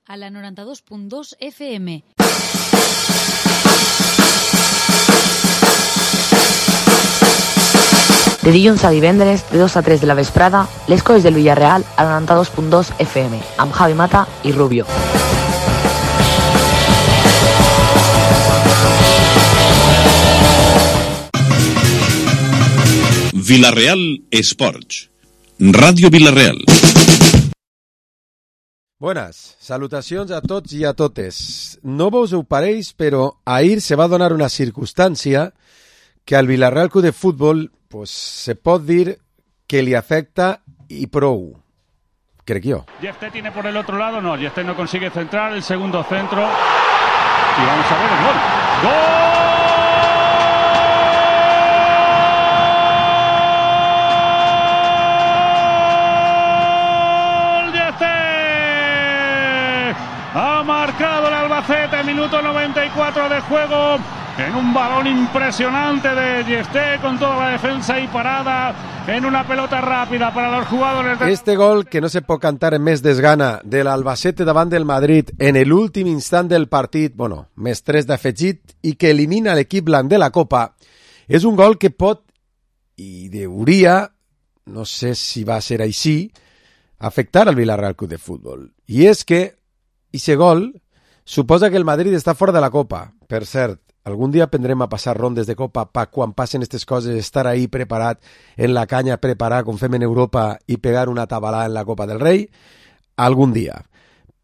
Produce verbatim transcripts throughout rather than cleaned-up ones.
A la noranta-dos punt dos F M. De dilluns a divendres, de dos a tres de la vesprada, les coses del Villarreal a la noranta-dos punt dos F M, amb Javi Mata i Rubio. Villarreal Esports. Ràdio Villarreal. Buenas, salutacions a tots i a totes. No vos ho pareix, però ahir se va donar una circumstància que al Villarreal Club de Fútbol pues, se pot dir que li afecta y prou, crec jo. Yefté tiene por el otro lado, no, Yefté no consigue centrar, el segundo centro y vamos a ver el gol. ¡Gol! Ha marcado el Albacete, minuto noventa y cuatro de juego, en un balón impresionante de Yefté con toda la defensa y parada, en una pelota rápida para los jugadores de... Este gol, que no se pot cantar en més desgana, de l'Albacete davant del Madrid en l'últim instant del partit, bueno, més tres d'afegit, i que elimina l'equip blanc de la Copa, és un gol que pot, i deuria, no sé si va ser així, afectar al Villarreal Club de Fútbol. I és que Ixe gol suposa que el Madrid està fora de la Copa. Per cert, algun dia aprendrem a passar rondes de Copa per quan passen aquestes coses, estar ahí preparat en la canya, preparar com fem en Europa i pegar una tabalada en la Copa del Rei. Algun dia.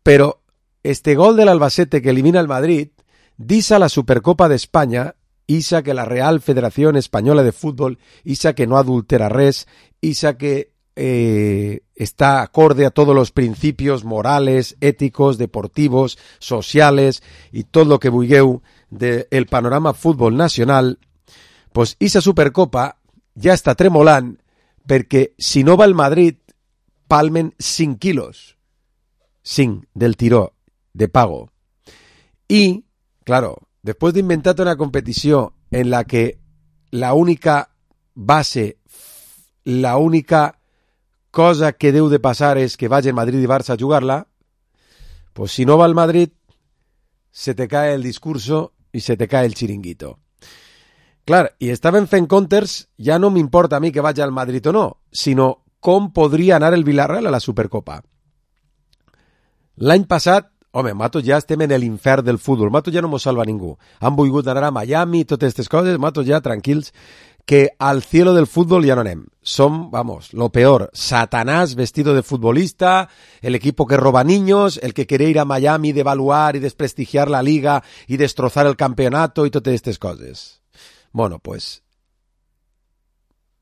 Però este gol de l'Albacete que elimina el Madrid disa la Supercopa d'Espanya, isa que la Real Federación Española de Fútbol, isa que no adultera res, isa que Eh, está acorde a todos los principios morales, éticos, deportivos, sociales y todo lo que vulgueu del panorama fútbol nacional, pues esa Supercopa ja està tremolant perquè si no va el Madrid palmen cinc quilos, cinc del tiró de pago. Y, claro, después de inventar una competición en la que la única base, la única cosa que deu de passar és que vagin Madrid i Barça a jugar-la, pues si no va al Madrid, se te cae el discurso i se te cae el chiringuito. Clar, i estaven fent comptes, ja no m'importa a mi que vagi al Madrid o no, sinó com podria anar el Villarreal a la Supercopa. L'any passat, home, matos ja estem en l'infern del futbol, matos ja no mos salva ningú. Han volgut anar a Miami, totes aquestes coses, matos ja tranquils, que al cielo del fútbol ya no anem. Son, vamos, lo peor. Satanás vestido de futbolista, el equipo que roba niños, el que quiere ir a Miami, devaluar y desprestigiar la liga y destrozar el campeonato y totes estas cosas. Bueno, pues,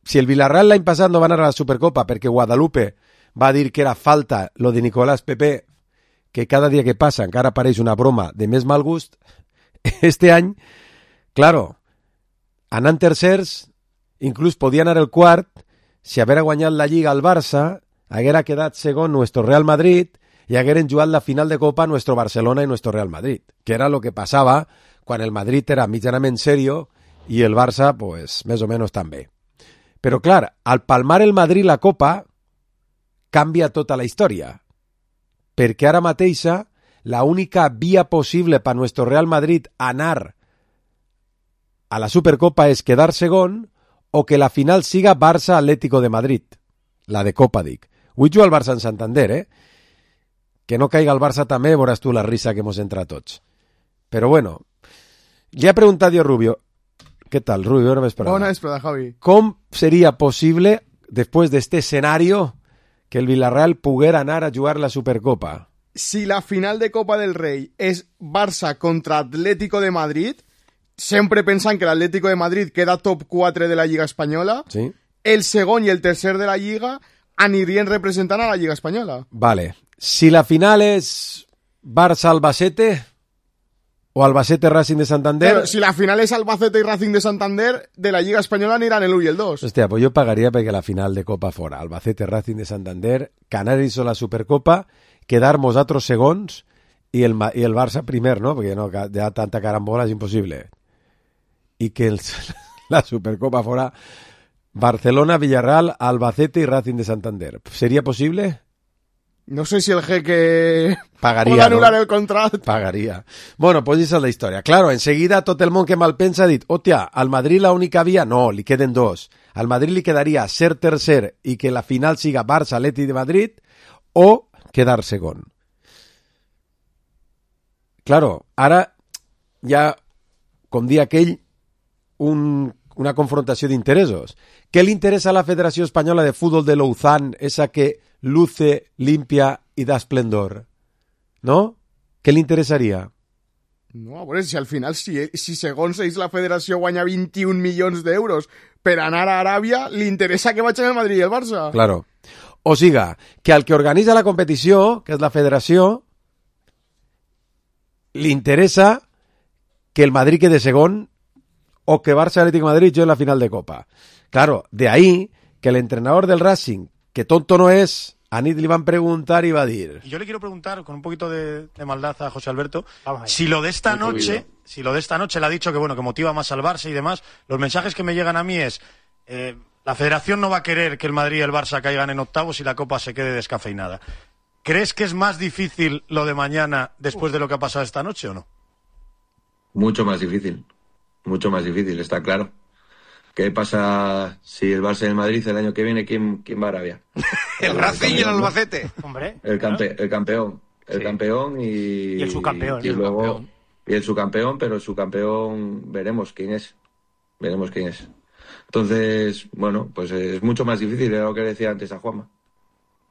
si el Villarreal l'any passat no va anar a la Supercopa perquè Guadalupe va dir que era falta lo de Nicolás Pepe, que cada dia que passa encara apareix una broma de més mal gust, este any, claro, anant tercers, inclús podia anar el quart, si haguera guanyat la Lliga al Barça, haguera quedat segon nuestro Real Madrid i hagueren jugat la final de Copa nuestro Barcelona i nuestro Real Madrid, que era lo que passava quan el Madrid era mitjanament serio i el Barça, pues, més o menys també. Però, clar, al palmar el Madrid la Copa, canvia tota la història, perquè ara mateixa la única via possible per nuestro Real Madrid anar a la Supercopa és quedar segon o que la final siga Barça-Atlético de Madrid, la de Copa, dic. Vull jugar al Barça en Santander, eh? Que no caiga el Barça també, veuràs tu la risa que hemos entrat tots. Però bueno, li ha preguntat jo a Rubio, què tal, Rubio? Bona vesprada. Bona vesprada, Javi. Com seria possible, després d'este escenario, que el Villarreal poguera anar a jugar la Supercopa? Si la final de Copa del Rei és Barça contra Atlético de Madrid, sempre pensant que l'Atlético de Madrid queda top quatre de la Lliga Espanyola, sí. El segon i el tercer de la Lliga anirien representant a la Lliga Espanyola. Vale. Si la final és Barça-Albacete o Albacete-Racing de Santander... Pero si la final és Albacete i Racing de Santander, de la Lliga Espanyola aniran el u i el dos. Hòstia, pues jo pagaria perquè la final de Copa fora Albacete-Racing de Santander, Canaris o la Supercopa, quedar-nos altres segons i el, i el Barça primer, no? Perquè no, ja tanta carambola és impossible. Y que el, la Supercopa fuera Barcelona, Villarreal, Albacete y Racing de Santander. ¿Sería posible? No sé si el jeque pagaria, pot anul·lar no? el contracte. Pagaria. Bueno, pues esa és la història. Claro, enseguida tot el món que mal pensa ha dit, hòstia, al Madrid la única via, no, li queden dos. Al Madrid li quedaria ser tercer i que la final siga Barça-Atleti de Madrid o quedar segon. Claro, ara hi ha, com dir aquell, un, una confrontació d'interessos. Què li interessa a la Federació Espanyola de Fútbol de Lausanne, esa que luce, limpia y da esplendor? ¿No? ¿Qué le interesaria? No, a veure, si al final, si, si segons ells la federació guanya vint-i-un milions d'euros per anar a Aràbia, li interessa que vagin el Madrid i el Barça. Claro. O siga, que al que organitza la competició, que és la federació, li interessa que el Madrid quede segon o que Barça Atlético de Madrid juegue la final de Copa. Claro, de ahí que el entrenador del Racing, que tonto no es, a Nid le van a preguntar y va a decir... Y yo le quiero preguntar, con un poquito de, de maldad a José Alberto, si lo de esta noche, si lo de esta noche le ha dicho que bueno, que motiva más al Barça y demás, los mensajes que me llegan a mí es, eh, la Federación no va a querer que el Madrid y el Barça caigan en octavos y la Copa se quede descafeinada. ¿Crees que es más difícil lo de mañana después de lo que ha pasado esta noche o no? Mucho más difícil, mucho más difícil, está claro. ¿Qué pasa si el Barça y el Madrid el año que viene, quién, quién va a Arabia? El Racing y el Albacete. Hombre. El, campe, el campeón, el sí. campeón y... Y el subcampeón. Y, y luego... Subcampeón. Y el subcampeón, pero el subcampeón veremos quién es. Veremos quién es. Entonces, bueno, pues es mucho más difícil, era lo que decía antes a Juanma.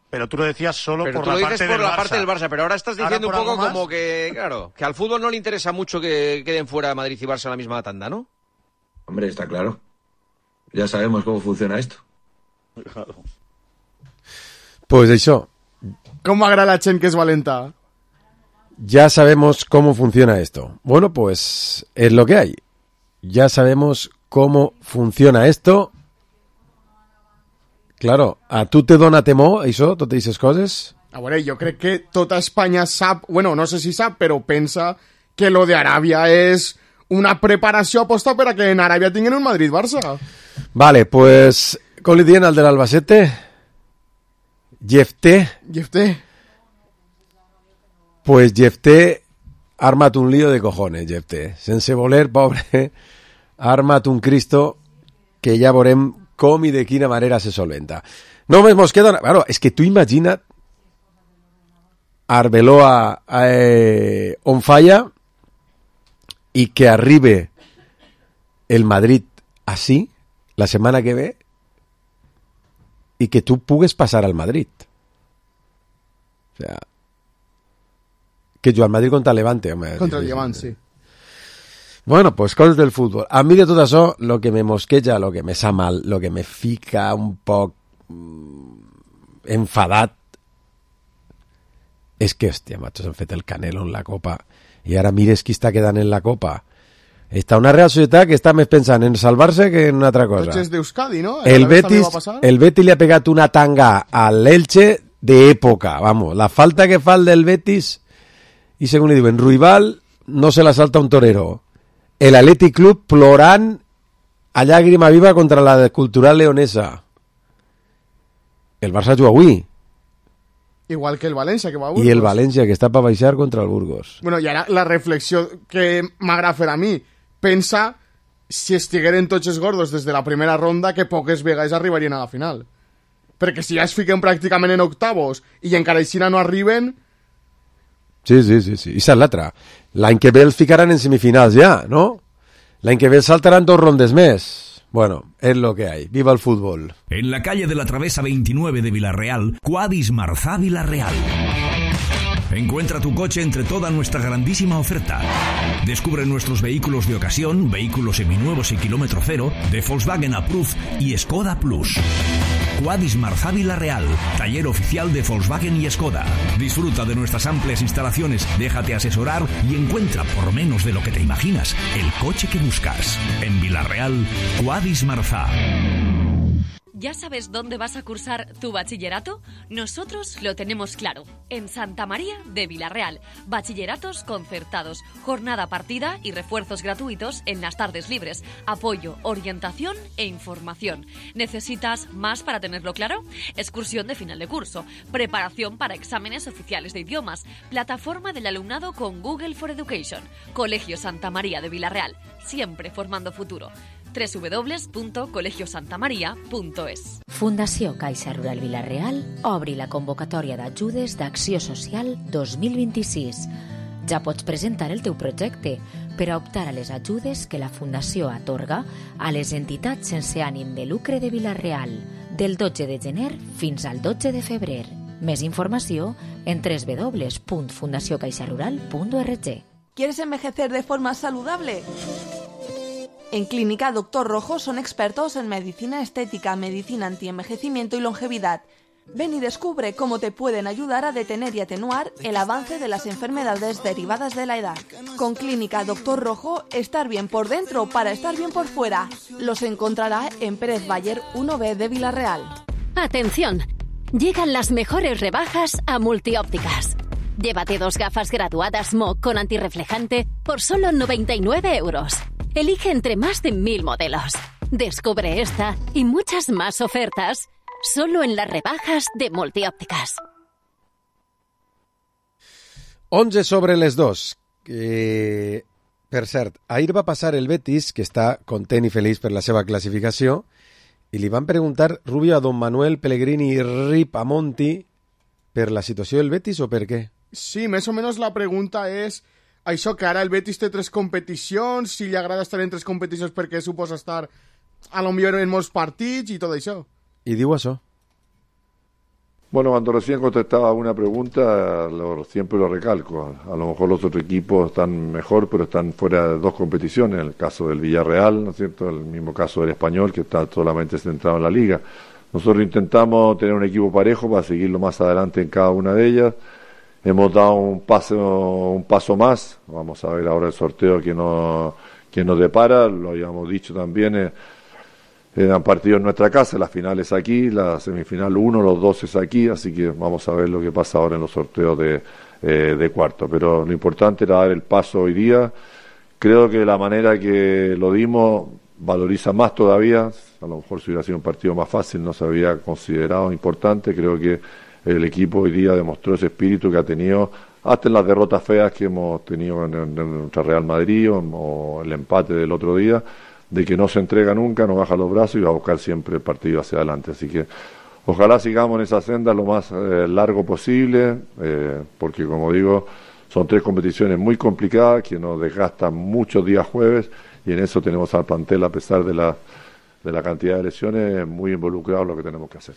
Pero tú lo decías solo pero por tú la lo parte dices del por la Barça. parte del Barça, pero ahora estás diciendo ¿Ahora un poco como más? que, claro, que al fútbol no le interesa mucho que queden fuera Madrid y Barça en la misma tanda, ¿no? Hombre, está claro. Ya sabemos cómo funciona esto. Pues eso. ¿Cómo agrada la Chen que es valenta? Ya sabemos cómo funciona esto. Bueno, pues es lo que hay. Ya sabemos cómo funciona esto. Claro, a tu te dona temor, això, totes aquestes coses? A veure, jo crec que tota Espanya sap, bueno, no sé si sap, però pensa que lo de Aràbia és una preparació aposta per a que en Aràbia tinguin un Madrid-Barça. Vale, pues, com li diuen al de l'Albacete? Jefté. Jefté. Pues Jefté ha armat un lío de cojones, Jefté. Sense voler, pobre, ha armat un Cristo que ja veurem com i de quina manera se solventa. Només mos queda... Una... Claro, és que tu imagina't Arbeloa eh, on falla i que arribe el Madrid así la setmana que ve i que tu pugues passar al Madrid. O sea, que jo al Madrid contra el Levante. Home, contra el Levante, sí. Bueno, pues cosas del fútbol. A mí de tot això, lo que me mosqueja, lo que me sa mal, lo que me fica un poc enfadat, és que, hòstia, macho, s'han fet el Canelo en la Copa i ara mires qui està quedant en la Copa. Està una Real Societat que està més pensant en salvar-se que en una altra cosa. Tots és d'Euskadi, no? El Betis, el Betis li ha pegat una tanga al Elche d'època, vamos. La falta que fa el del Betis, i segons li diuen, Ruibal no se la salta un torero. El Athletic Club plorant a llàgrima viva contra la Cultural Leonesa. El Barça juga avui. Igual que el València, que va a Burgos. I el València, que està per baixar contra el Burgos. Bueno, i ara la reflexió que m'agrada fer a mi. Pensa si estigueren tots els gordos des de la primera ronda que poques vegades arribarien a la final. Perquè si ja es fiquen pràcticament en octavos i encara així no arriben... Sí, sí, sí, sí. I és l'altra. L'any que ve els ficaran en semifinals ja, ¿no? L'any que ve els saltaran dos rondes més. Bueno, es lo que hay. ¡Viva el fútbol! En la calle de la Travesa veintinueve de Villarreal, Quadis Marzá Villarreal. Encuentra tu coche entre toda nuestra grandísima oferta. Descubre nuestros vehículos de ocasión, vehículos seminuevos y kilómetro cero, de Volkswagen Approved y Skoda Plus. Quadis Marzá Villarreal, taller oficial de Volkswagen y Skoda. Disfruta de nuestras amplias instalaciones, déjate asesorar y encuentra por menos de lo que te imaginas el coche que buscas. En Villarreal, Quadis Marzá. ¿Ya sabes dónde vas a cursar tu bachillerato? Nosotros lo tenemos claro. En Santa María de Vilarreal. Bachilleratos concertados, jornada partida y refuerzos gratuitos en las tardes libres. Apoyo, orientación e información. ¿Necesitas más para tenerlo claro? Excursión de final de curso. Preparación para exámenes oficiales de idiomas. Plataforma del alumnado con Google for Education. Colegio Santa María de Vilarreal. Siempre formando futuro. doble u doble u doble u punt colegio santa maria punt es. Fundació Caixa Rural Vilarreal obri la convocatòria d'ajudes d'Acció Social dos mil vint-i-sis. Ja pots presentar el teu projecte per a optar a les ajudes que la Fundació atorga a les entitats sense ànim de lucre de Vilarreal del dotze de gener fins al dotze de febrer. Més informació en doble u doble u doble u punt fundació caixa rural punt org. ¿Quieres envejecer de forma saludable? En Clínica Doctor Rojo son expertos en medicina estética, medicina antienvejecimiento y longevidad. Ven y descubre cómo te pueden ayudar a detener y atenuar el avance de las enfermedades derivadas de la edad. Con Clínica Doctor Rojo, estar bien por dentro para estar bien por fuera. Los encontrará en Pérez Bayer uno B de Vilarreal. ¡Atención! Llegan las mejores rebajas a Multiópticas. Llévate dos gafas graduadas M O con antirreflejante por solo noventa y nueve euros. Elige entre más de mil modelos. Descubre esta y muchas más ofertas solo en las rebajas de Multiópticas. onze sobre les dos. Eh, per cert, ahir va passar el Betis, que està content i feliç per la seva classificació, i li van preguntar, Rubio, a don Manuel Pellegrini i Rip a Monti per la situació del Betis o per què? Sí, més o menys la pregunta és això que ara el Betis té tres competicions, si li agrada estar en tres competicions perquè suposa estar a lo millor en molts partits i tot això. I diu això. Bueno, cuando recién contestaba una pregunta, lo, siempre lo recalco. A lo mejor los otros equipos están mejor, pero están fuera de dos competiciones. En el caso del Villarreal, ¿no es cierto? El mismo caso del Español, que está solamente centrado en la Liga. Nosotros intentamos tener un equipo parejo para seguirlo más adelante en cada una de ellas. Hemos dado un paso, un paso más. Vamos a ver ahora el sorteo que nos, que nos depara. Lo habíamos dicho también. Eh, eran partidos en nuestra casa. La final es aquí, la semifinal uno, los dos es aquí. Así que vamos a ver lo que pasa ahora en los sorteos de, eh, de cuarto. Pero lo importante era dar el paso hoy día. Creo que la manera que lo dimos valoriza más todavía. A lo mejor si hubiera sido un partido más fácil no se había considerado importante. Creo que el equipo hoy día demostró ese espíritu que ha tenido hasta en las derrotas feas que hemos tenido en, en, en nuestra Real Madrid o, o el empate del otro día, de que no se entrega nunca, no baja los brazos y va a buscar siempre el partido hacia adelante. Así que ojalá sigamos en esa senda lo más eh, largo posible, eh, porque como digo, son tres competiciones muy complicadas que nos desgastan muchos días jueves y en eso tenemos al plantel, a pesar de la, de la cantidad de lesiones, muy involucrados en lo que tenemos que hacer.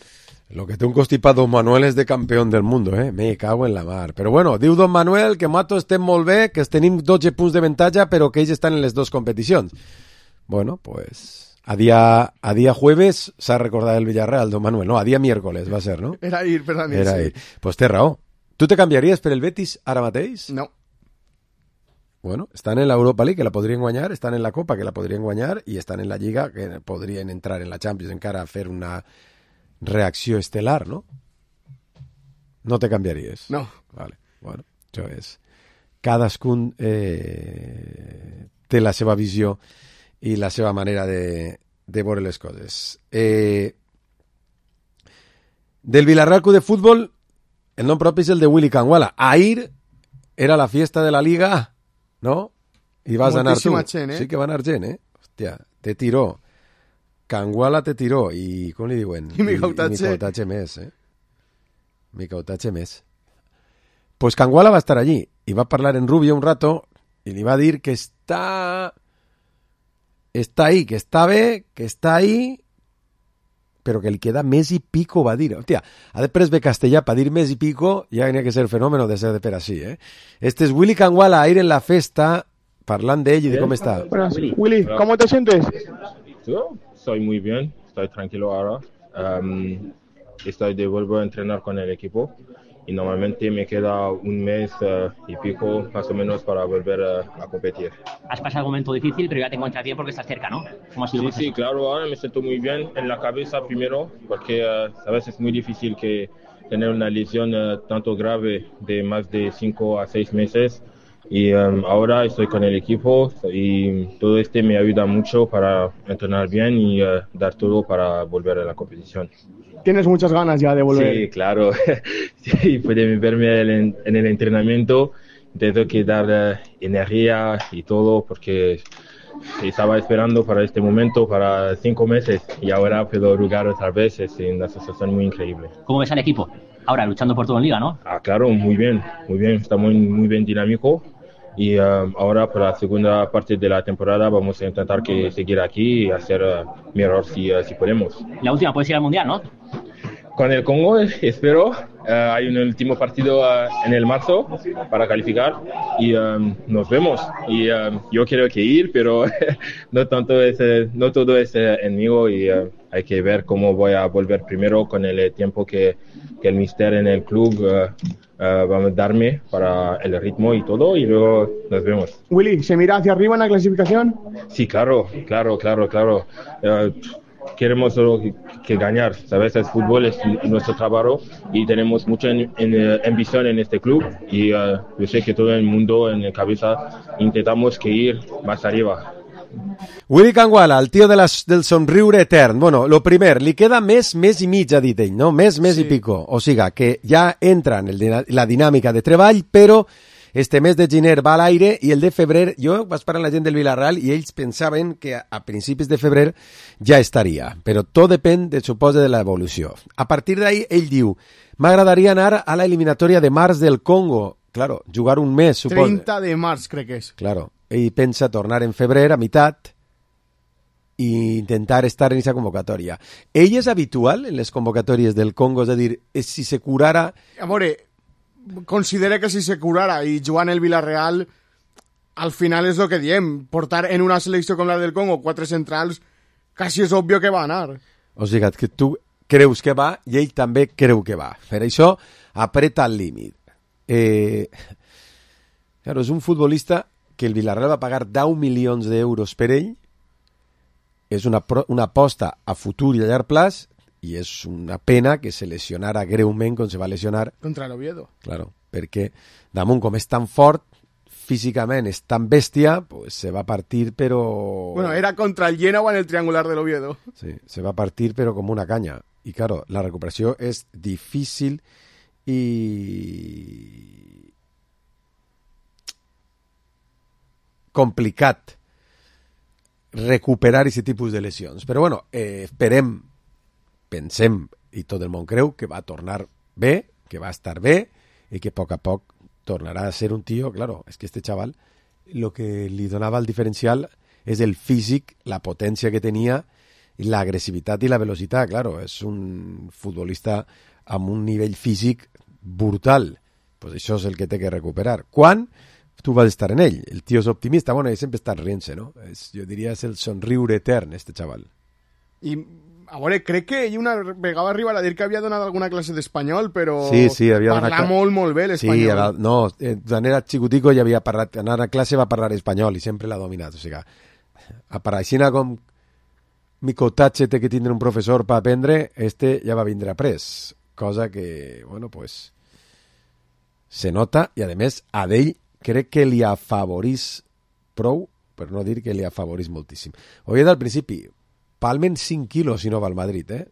Lo que té un constipat Don Manuel és de campió del món, eh? Me cago en la mar. Però bueno, diu Don Manuel que Mato estem molt bé, que tenim dotze punts de avantatge, però que ells estan en les dues competicions. Bueno, pues a día, a día jueves s'ha recordat el Villarreal, Don Manuel. No, a día miércoles va ser, no? Era ir, per la nit, Era sí. ir. Pues té raó. Tu te canviaries per el Betis ara mateix? No. Bueno, estan en l'Europa League, que la podrien guanyar, estan en la Copa, que la podrien guanyar, i estan en la Lliga, que podrien entrar en la Champions encara a fer una reacció estel·lar, no? No te canviaries? No. Vale, bueno, això és... Cadascun eh, té la seva visió i la seva manera de, de veure les coses. Eh, del Villarreal Club de Fútbol, el nom propi és el de Willy Canguala. Ahir era la fiesta de la Liga, ¿no? I vas anar tu. Gent, eh? Sí que va anar gent, eh? Hòstia, te tiró. Canguala te tiró i, com li diuen? I Micautatge. I Micautatge més, eh? Micautatge més. Pues Canguala va estar allí i va parlar en Rubio un rato i li va dir que està... Està ahí, que està bé, que està ahí, però que li queda més i pico, va dir. Hòstia, a després ve castellà per dir més i pico, ja tenia que ser fenómeno de ser de per així, eh? Este es Willy Canguala, ahir en la festa, parlant d'ell i de com està. Buenas, Willy, ¿cómo te sientes? Yo estoy muy bien, estoy tranquilo ahora. Um, estoy de vuelvo a entrenar con el equipo y normalmente me queda un mes uh, y pico más o menos para volver uh, a competir. Has pasado un momento difícil, pero ya te encuentras bien porque estás cerca, ¿no? ¿Cómo ha sido el Sí, proceso? sí, claro, ahora me siento muy bien en la cabeza primero, porque uh, a veces es muy difícil que tener una lesión uh, tanto grave de más de cinco a seis meses. Y um, ahora estoy con el equipo y todo este me ayuda mucho para entrenar bien y uh, dar todo para volver a la competición. Tienes muchas ganas ya de volver. Sí, claro. Sí, pueden verme en, en el entrenamiento. Tengo que dar uh, energía y todo porque estaba esperando para este momento para cinco meses y ahora puedo jugar otra vez. Es una sensación muy increíble. ¿Cómo ves al equipo? Ahora luchando por todo en Liga, ¿no? Ah, claro, muy bien, muy bien. Está muy, muy bien dinámico. Y um, ahora para la segunda parte de la temporada vamos a intentar que seguir aquí y hacer uh, mejor si, uh, si podemos. La última, puedes ir al Mundial, ¿no? Con el Congo, espero. Uh, hay un último partido uh, en el marzo para calificar y um, nos vemos. Y um, yo quiero que ir, pero no tanto es, uh, no todo es uh, en mí y uh, hay que ver cómo voy a volver primero con el tiempo que, que el míster en el club uh, uh, va a darme para el ritmo y todo y luego nos vemos. Willy, ¿se mira hacia arriba en la clasificación? Sí, claro, claro, claro, claro. Uh, Queremos solo que, que ganar, ¿sabes? El fútbol es nuestro trabajo y tenemos mucha en, en, ambición en este club y uh, yo sé que todo el mundo en la cabeza intentamos que ir más arriba. Willy Kangwala, el tio de les, del somriure etern. Bueno, lo primer, li queda mes, mes i mig, ha dit ell, no? Mes, mes sí. i pico. O sigui, que ja entra en el, la dinàmica de treball, però este mes de gener va a l'aire i el de febrer, jo vaig parlar amb la gent del Villarreal i ells pensaven que a principis de febrer ja estaria, però tot depèn, de, suposa, de l'evolució. A partir d'ahí, ell diu, m'agradaria anar a la eliminatòria de març del Congo. Claro, jugar un mes, suposa. treinta de març, crec que és. Claro, ell pensa tornar en febrer a meitat i intentar estar en aquesta convocatòria. Ell és habitual en les convocatòries del Congo, és a dir, si se curara... A veure, considera que si se curara i jugant el Villarreal, al final és el que diem, portar en una selecció com la del Congo quatre centrals, quasi és obvio que va anar. O sigui, que tu creus que va i ell també creu que va. Per això, apreta el límit. Eh, claro, és un futbolista que el Villarreal va pagar deu milions d'euros per ell, és una, una aposta a futur i a llarg plaç, i és una pena que se lesionara greument com se va lesionar contra l'Oviedo. Claro, perquè damunt com és tan fort, físicament és tan bèstia, pues se va partir però... Bueno, era contra el Genoa en el triangular de l'Oviedo. Sí, se va partir però com una canya. I claro, la recuperació és difícil i... complicat recuperar aquest tipus de lesions. Però bueno, eh, esperem, pensem, i tot el món creu, que va tornar bé, que va estar bé, i que a poc a poc tornarà a ser un tio, claro, és que este chaval, lo que li donava el diferencial és el físic, la potència que tenia, l'agressivitat i la velocitat, claro, és un futbolista amb un nivell físic brutal, pues això és el que té que recuperar. Quan tu vas estar en ell? El tio és optimista, bueno, ell sempre està rient-se, no? És, jo diria és el somriure etern, este chaval. I, a veure, crec que ell una vegada arribar a dir que havia donat alguna classe d'espanyol, però sí, sí, havia parla donat... molt, molt bé l'espanyol. Sí, era, no, eh, quan era xicutico ja havia parlat, anar a classe va parlar espanyol i sempre l'ha dominat, o sigui, a parlar com Micotatge té que tindre un professor per aprendre, este ja va vindre après, cosa que, bueno, pues se nota i a més a d'ell crec que li afavorís prou, per no dir que li afavorís moltíssim. Ho havia dit al principi, palmen cinc quilos si no va al Madrid, eh?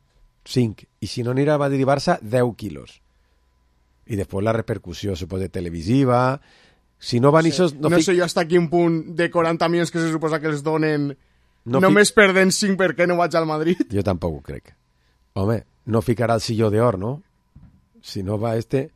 cinc. I si no anirà a Madrid i Barça, deu quilos. I després la repercussió, suposa, televisiva... Si no van sí. Isos, no, no sé jo hasta quin punt de quaranta milions que se suposa que els donen no només fi... perden cinc perquè no vaig al Madrid. Jo tampoc ho crec. Home, no ficarà el silló d'or, no? Si no va este,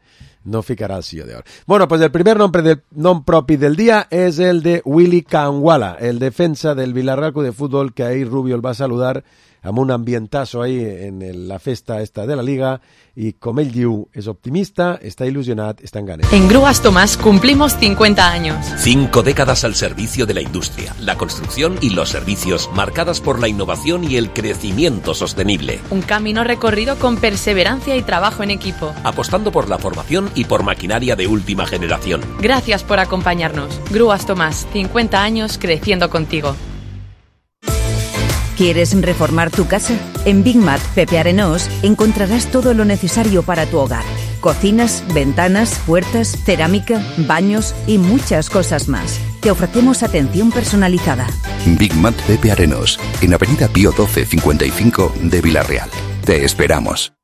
no ficarà el silló d'or. Bueno, pues el primer nom, del, nom propi del dia és el de Willy Kangwala, el defensa del Villarreal Club de Fútbol, que ahir Rubio el va saludar amb un ambientazo ahí en el, la festa esta de la Liga, i com ell diu, és optimista, està il·lusionat, està en ganes. En Grúas Tomás cumplimos cincuenta años. Cinco décadas al servicio de la industria, la construcción y los servicios, marcadas por la innovación y el crecimiento sostenible. Un camino recorrido con perseverancia y trabajo en equipo. Apostando por la formación y por maquinaria de última generación. Gracias por acompañarnos. Grúas Tomás, cincuenta años creciendo contigo. ¿Quieres reformar tu casa? En Big Mat Pepe Arenós encontrarás todo lo necesario para tu hogar. Cocinas, ventanas, puertas, cerámica, baños y muchas cosas más. Te ofrecemos atención personalizada. Big Mat Pepe Arenós, en Avenida Pío doce cincuenta y cinco de Villarreal. Te esperamos.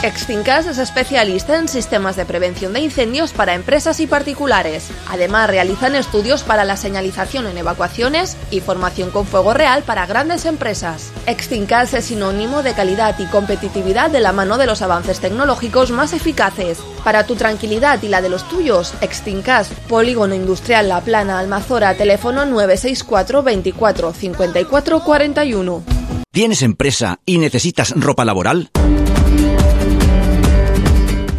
Extincas es especialista en sistemas de prevención de incendios para empresas y particulares. Además, realizan estudios para la señalización en evacuaciones y formación con fuego real para grandes empresas. Extincas es sinónimo de calidad y competitividad de la mano de los avances tecnológicos más eficaces. Para tu tranquilidad y la de los tuyos, Extincas, Polígono Industrial La Plana, Almazora, teléfono nueve seis cuatro veinticuatro cincuenta y cuatro cuarenta y uno. ¿Tienes empresa y necesitas ropa laboral?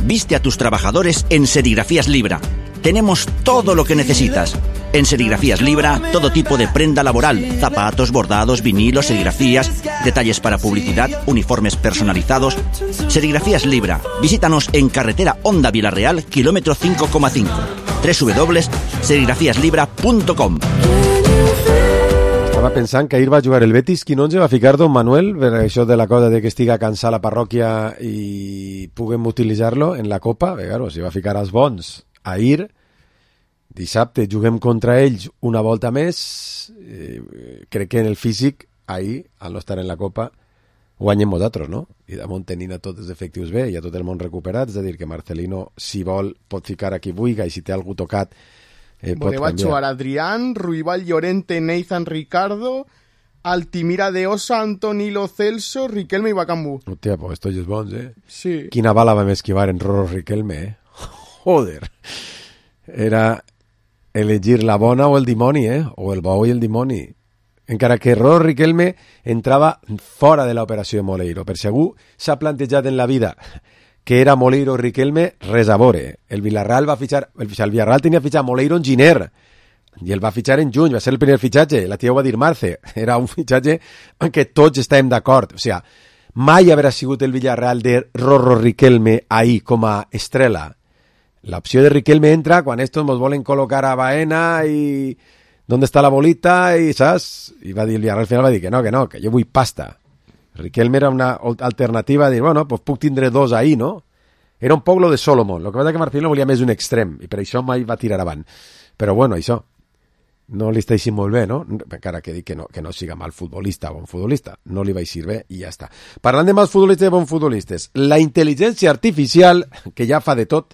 Viste a tus trabajadores en Serigrafías Libra. Tenemos todo lo que necesitas. En Serigrafías Libra, todo tipo de prenda laboral, zapatos, bordados, vinilos, serigrafías, detalles para publicidad, uniformes personalizados. Serigrafías Libra. Visítanos en carretera Honda Villarreal, kilómetro cinco coma cinco. doble u doble u doble u punt serigrafías libra punt com. Estava pensant que ahir va jugar el Betis, qui no ens va ficar Don Manuel, per això de la cosa de que estiga cansada la parròquia i puguem utilitzar-lo en la Copa. Bé, claro, si va ficar els bons ahir, dissabte juguem contra ells una volta més, eh, crec que en el físic, ahir, al no estar en la Copa, guanyem nosaltres, no? I damunt tenint a tots els efectius bé i a tot el món recuperat, és a dir, que Marcelino, si vol, pot ficar a qui vulgui, i si té algú tocat, Eh, bueno, va a jugar Adrián, Ruibal Llorente, Nathan Ricardo, Altimira de Osa, Antonilo Celso, Riquelme i Bacambú. Hòstia, pues esto és bons, eh? Sí. Quina bala vam esquivar en Roro Riquelme, eh? Joder. Era elegir la bona o el dimoni, eh? O el bou i el dimoni. Encara que Roro Riquelme entrava fora de l'operació de Moleiro. Per si algú s'ha plantejat en la vida que era Moleiro o Riquelme, res a veure. El Villarreal va fitxar... El, el Villarreal tenia fitxar Moleiro en Giner, i el va fitxar en juny, va ser el primer fitxatge, la tia ho va dir Marce, era un fitxatge en què tots estàvem d'acord. O sigui, mai haurà sigut el Villarreal de Rorro Riquelme ahí com a estrella. L'opció de Riquelme entra quan estos nos volen col·locar a Baena i... ¿Dónde está la bolita? I, saps? I va dir el Villarreal, al final va dir que no, que no, que jo vull pasta. Riquelme era una alternativa a dir, bueno, pues puc tindre dos ahí, no? Era un poc lo de Solomon. Lo que passa que Marcelino volia més un extrem, i per això mai va tirar avant. Però bueno, això no li està així molt bé, no? Encara que dic que no, que no siga mal futbolista o bon futbolista. No li va aixir bé i ja està. Parlant de mals futbolistes i bons futbolistes, la intel·ligència artificial, que ja fa de tot,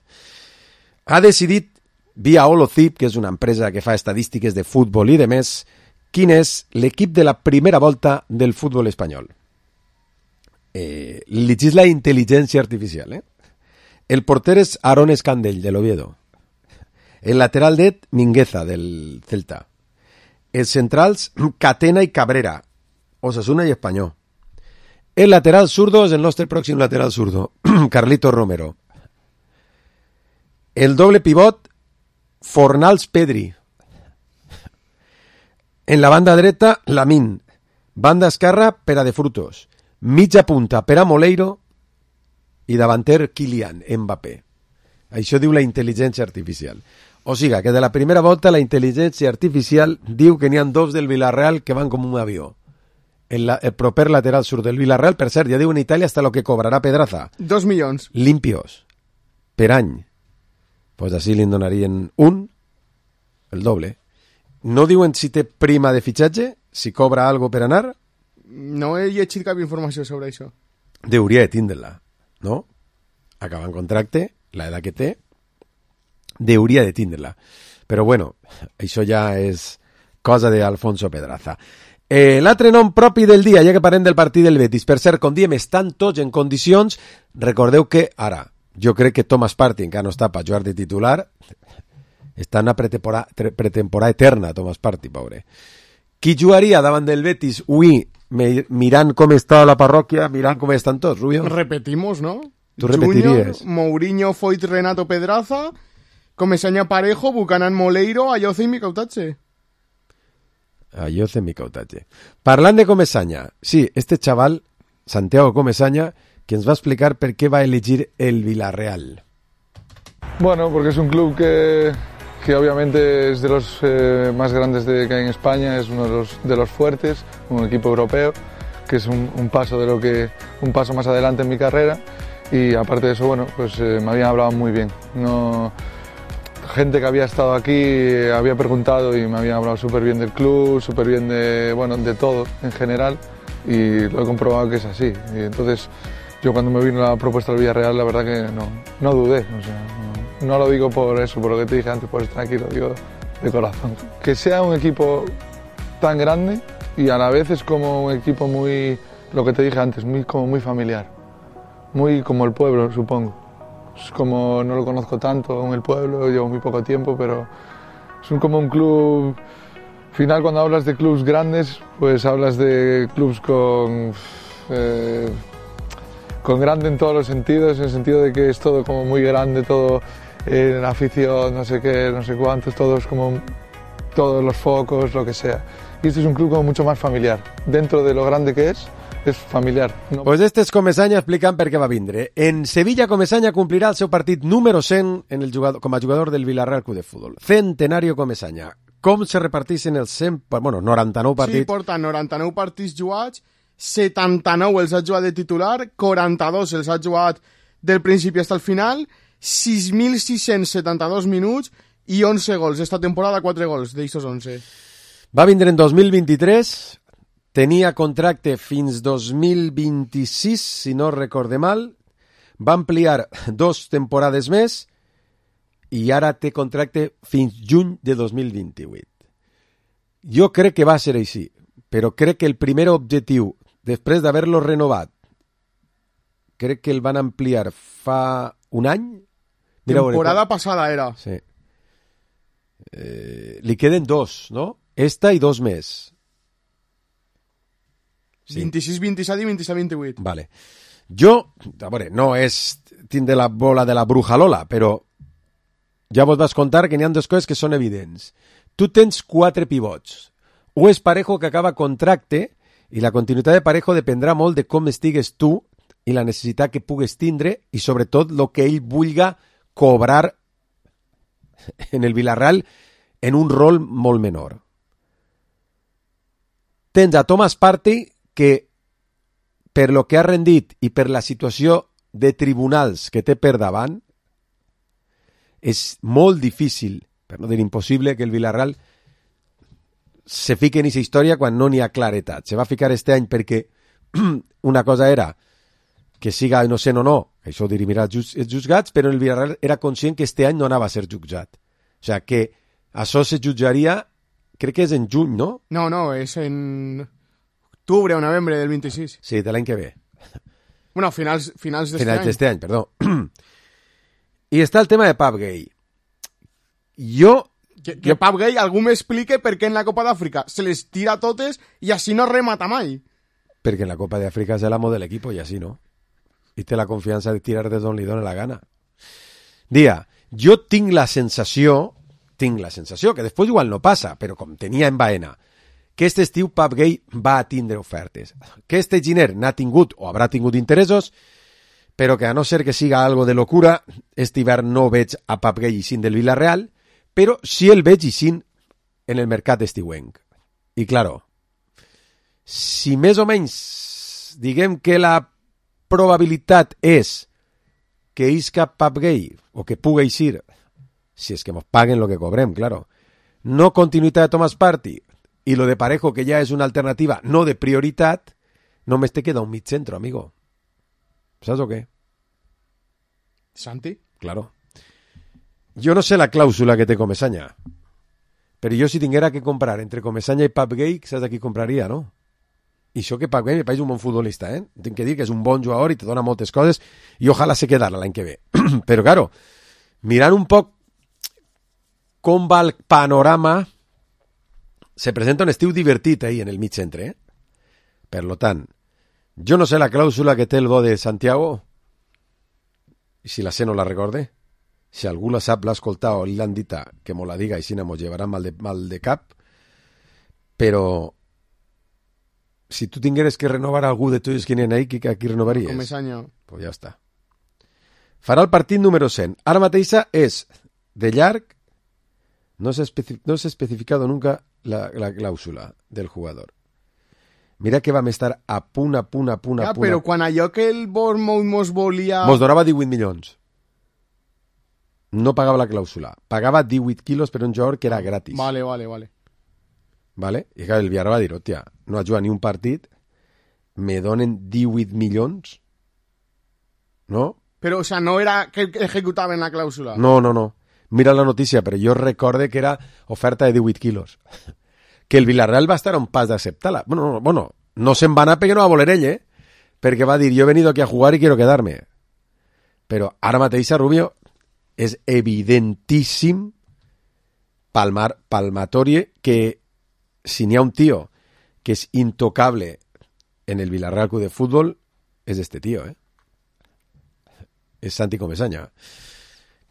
ha decidit, via Holocip, que és una empresa que fa estadístiques de futbol i de més, quin és l'equip de la primera volta del futbol espanyol. Eh, llegís la intel·ligència artificial, eh? El porter és Aaron Escandell, de l'Oviedo. El lateral dret, Mingueza, del Celta. Els centrals, Catena i Cabrera, Osasuna i Espanyol. El lateral zurdo és el nostre pròxim lateral zurdo, Carlito Romero. El doble pivot, Fornals Pedri. En la banda dreta, Lamín. Banda esquerra, Pera de Frutos. Mitja punta, Pera Moleiro. I davanter, Kylian Mbappé. Això diu la intel·ligència artificial. O sigui, que de la primera volta la intel·ligència artificial diu que n'hi ha dos del Villarreal que van com un avió. El, la, el proper lateral sur del Villarreal, per cert, ja diu en Itàlia hasta lo que cobrarà Pedraza. Dos milions. Limpios. Per any. Pues així li donarien un, el doble. No diuen si té prima de fitxatge, si cobra algo per anar? No he llegit cap informació sobre això. Deuria de tindre-la, no? Acaba en contracte, la edat que té, deuria de tindre-la. Però bueno, això ja és cosa d'Alfonso Pedraza. Eh, l'altre nom propi del dia, ja que parlem del partit del Betis. Per cert, com diem, estan tots en condicions. Recordeu que, ara, jo crec que Thomas Partey encara no està per jugar de titular. Està en una pretemporada, pretemporada eterna, Thomas Partey, pobre. Qui jugaria davant del Betis avui me, mirant com està la parròquia, mirant com estan tots, Rubio. Repetimos, ¿no? Tu repetiries. Junior, Mourinho, Foyt, Renato, Pedraza, Comesaña, Parejo, Buchanan, Moleiro, Ayoce i Micautatge. Ayoce, Micautatge. Parlant de Comesaña, sí, este chaval, Santiago Comesaña, que ens va explicar per què va elegir el Villarreal. Bueno, porque es un club que, que obviamente es de los eh, más grandes de, que hay en España, es uno de los, de los fuertes, un equipo europeo, que es un, un paso de lo que un paso más adelante en mi carrera, y aparte de eso, bueno, pues eh, me habían hablado muy bien. No, gente que había estado aquí eh, había preguntado y me habían hablado súper bien del club, súper bien de, bueno, de todo en general, y lo he comprobado que es así. Y entonces, yo cuando me vino la propuesta del Villarreal, la verdad que no, no dudé, o sea, no, no lo digo por eso, por lo que te dije antes, por estar aquí, lo digo de corazón. Que sea un equipo tan grande y a la vez es como un equipo muy, lo que te dije antes, muy, como muy familiar, muy como el pueblo, supongo. Es como, no lo conozco tanto en el pueblo, llevo muy poco tiempo, pero es un, como un club. Al final, cuando hablas de clubs grandes, pues hablas de clubs con... Eh, con grande en todos los sentidos, en el sentido de que es todo como muy grande, todo en eh, afición, no sé qué, no sé cuántos, todos como todos los focos, lo que sea. Y este es un club como mucho más familiar. Dentro de lo grande que es, és familiar. No? Pues este és Comesaña explicant per què va vindre. En Sevilla, Comesaña complirà el seu partit número cent en el jugador, com a jugador del Villarreal Club de Fútbol. Centenario Comesaña. Com se repartissin els cent, bueno, noranta-nou partits? Sí, porta noranta-nou partits jugats, setanta-nou els ha jugat de titular, quaranta-dos els ha jugat del principi fins al final, sis mil sis-cents setanta-dos minuts i onze gols. Esta temporada, quatre gols d'estos onze. Va vindre en dos mil vint-i-tres, tenia contracte fins dos mil vint-i-sis, si no recorde mal, va ampliar dos temporades més i ara té contracte fins juny de dos mil vint-i-vuit. Jo crec que va ser així, però crec que el primer objectiu, després d'haver-lo renovat, crec que el van ampliar fa un any. Mira, temporada passada era. Sí. Eh, li queden dos, no? Esta i dos més. Sí. vint-i-sis, vint-i-set i vint-i-set, vint-i-vuit. Vale. Jo, a veure, no és tindre la bola de la bruja Lola, però ja vos vas contar que n'hi ha dues coses que són evidents. Tu tens quatre pivots. O és Parejo, que acaba contracte, i la continuïtat de Parejo dependrà molt de com estigues tu i la necessitat que pugues tindre i sobretot el que ell vulga cobrar en el Villarreal en un rol molt menor. Tens a Thomas Partey, que per lo que ha rendit i per la situació de tribunals que té per davant, és molt difícil, per no dir impossible, que el Villarreal se fique en aquesta història quan no n'hi ha claretat. Se va ficar este any perquè una cosa era que siga innocent o no, això ho dirimirà els jutjats, però el Villarreal era conscient que este any no anava a ser jutjat. O sigui que això se jutjaria, crec que és en juny, no? No, no, és en octubre o novembre del vint-i-sis. Sí, de l'any que ve. Bueno, finals, finals d'este finals any. d'este any, perdó. I està el tema de Pape Gay. Jo... Que, que jo... Pape Gay, algú m'explique per què en la Copa d'Àfrica se les tira totes i així no remata mai. Perquè en la Copa d'Àfrica és l'amo de l'equip i així no. I té la confiança de tirar de d'on li dona la gana. Dia, jo tinc la sensació, tinc la sensació, que després igual no passa, però com tenia en Baena, que este estiu Pape Gay va a tindre ofertes. Que este Giner n'ha tingut o haurà tingut interessos, però que a no ser que siga algo de locura, este hivern no veig a Pape Gay ixint del Villarreal, però sí el veig ixint en el mercat estiuenc. I claro, si més o menys diguem que la probabilitat és que isca Pape Gay o que pugui eixir, si és que ens paguen lo que cobrem, claro, no continuïtat de Thomas Partey i lo de Parejo, que ja és una alternativa no de prioritat, només te queda un mig centro, amigo. ¿Sabes o qué? Santi? Claro. Jo no sé la clàusula que té Comesaña, però jo si tinguera que comprar entre Comesaña i Pape Gay, saps a qui compraria, no? I això que Pape Gay me pareix un bon futbolista, eh? Tinc que dir que és un bon jugador i te dona moltes coses i ojalà se quedara l'any que ve. Però, claro, mirant un poc com va el panorama, se presenta un estiu divertit ahí en el mig centre, eh? Per lo tant, jo no sé la clàusula que té el bo de Santiago, i si la sé no la recorde. Si algú la sap, l'ha escoltat o li l'han dita, que mo la diga i si no mos llevarà mal de, mal de cap. Però si tu tingueres que renovar algú de tots que n'hi ha ahí, qui, qui renovaries? Comesaña. Pues ja està. Farà el partit número cent. Ara mateixa és de llarg, no s'ha especi no s'ha especificado nunca la, la clàusula del jugador. Mira que vam estar a punt, a punt, a punt, a Ja, punt. però quan allò que el Bournemouth mos volia... Mos donava divuit milions. No pagava la clàusula. Pagava divuit quilos per un jugador que era gratis. Vale, vale, vale. Vale? I clar, el Villarreal va dir, hòstia, no ha jugat ni un partit, me donen divuit milions, no? Però, o sea, no era que ejecutaven la clàusula. No, no, no. Mira la notícia, però jo recorde que era oferta de divuit quilos. Que el Villarreal va estar a un pas d'acceptar-la. Bueno, no, bueno, no se'n va anar perquè no va voler ell, eh? Perquè va dir, yo he venido aquí a jugar y quiero quedarme. Però ara mateixa, Rubio, és evidentíssim palmar, palmatorie que si n'hi ha un tío que és intocable en el Villarreal Club de Fútbol, és este tío, eh? És Santi Comesaña.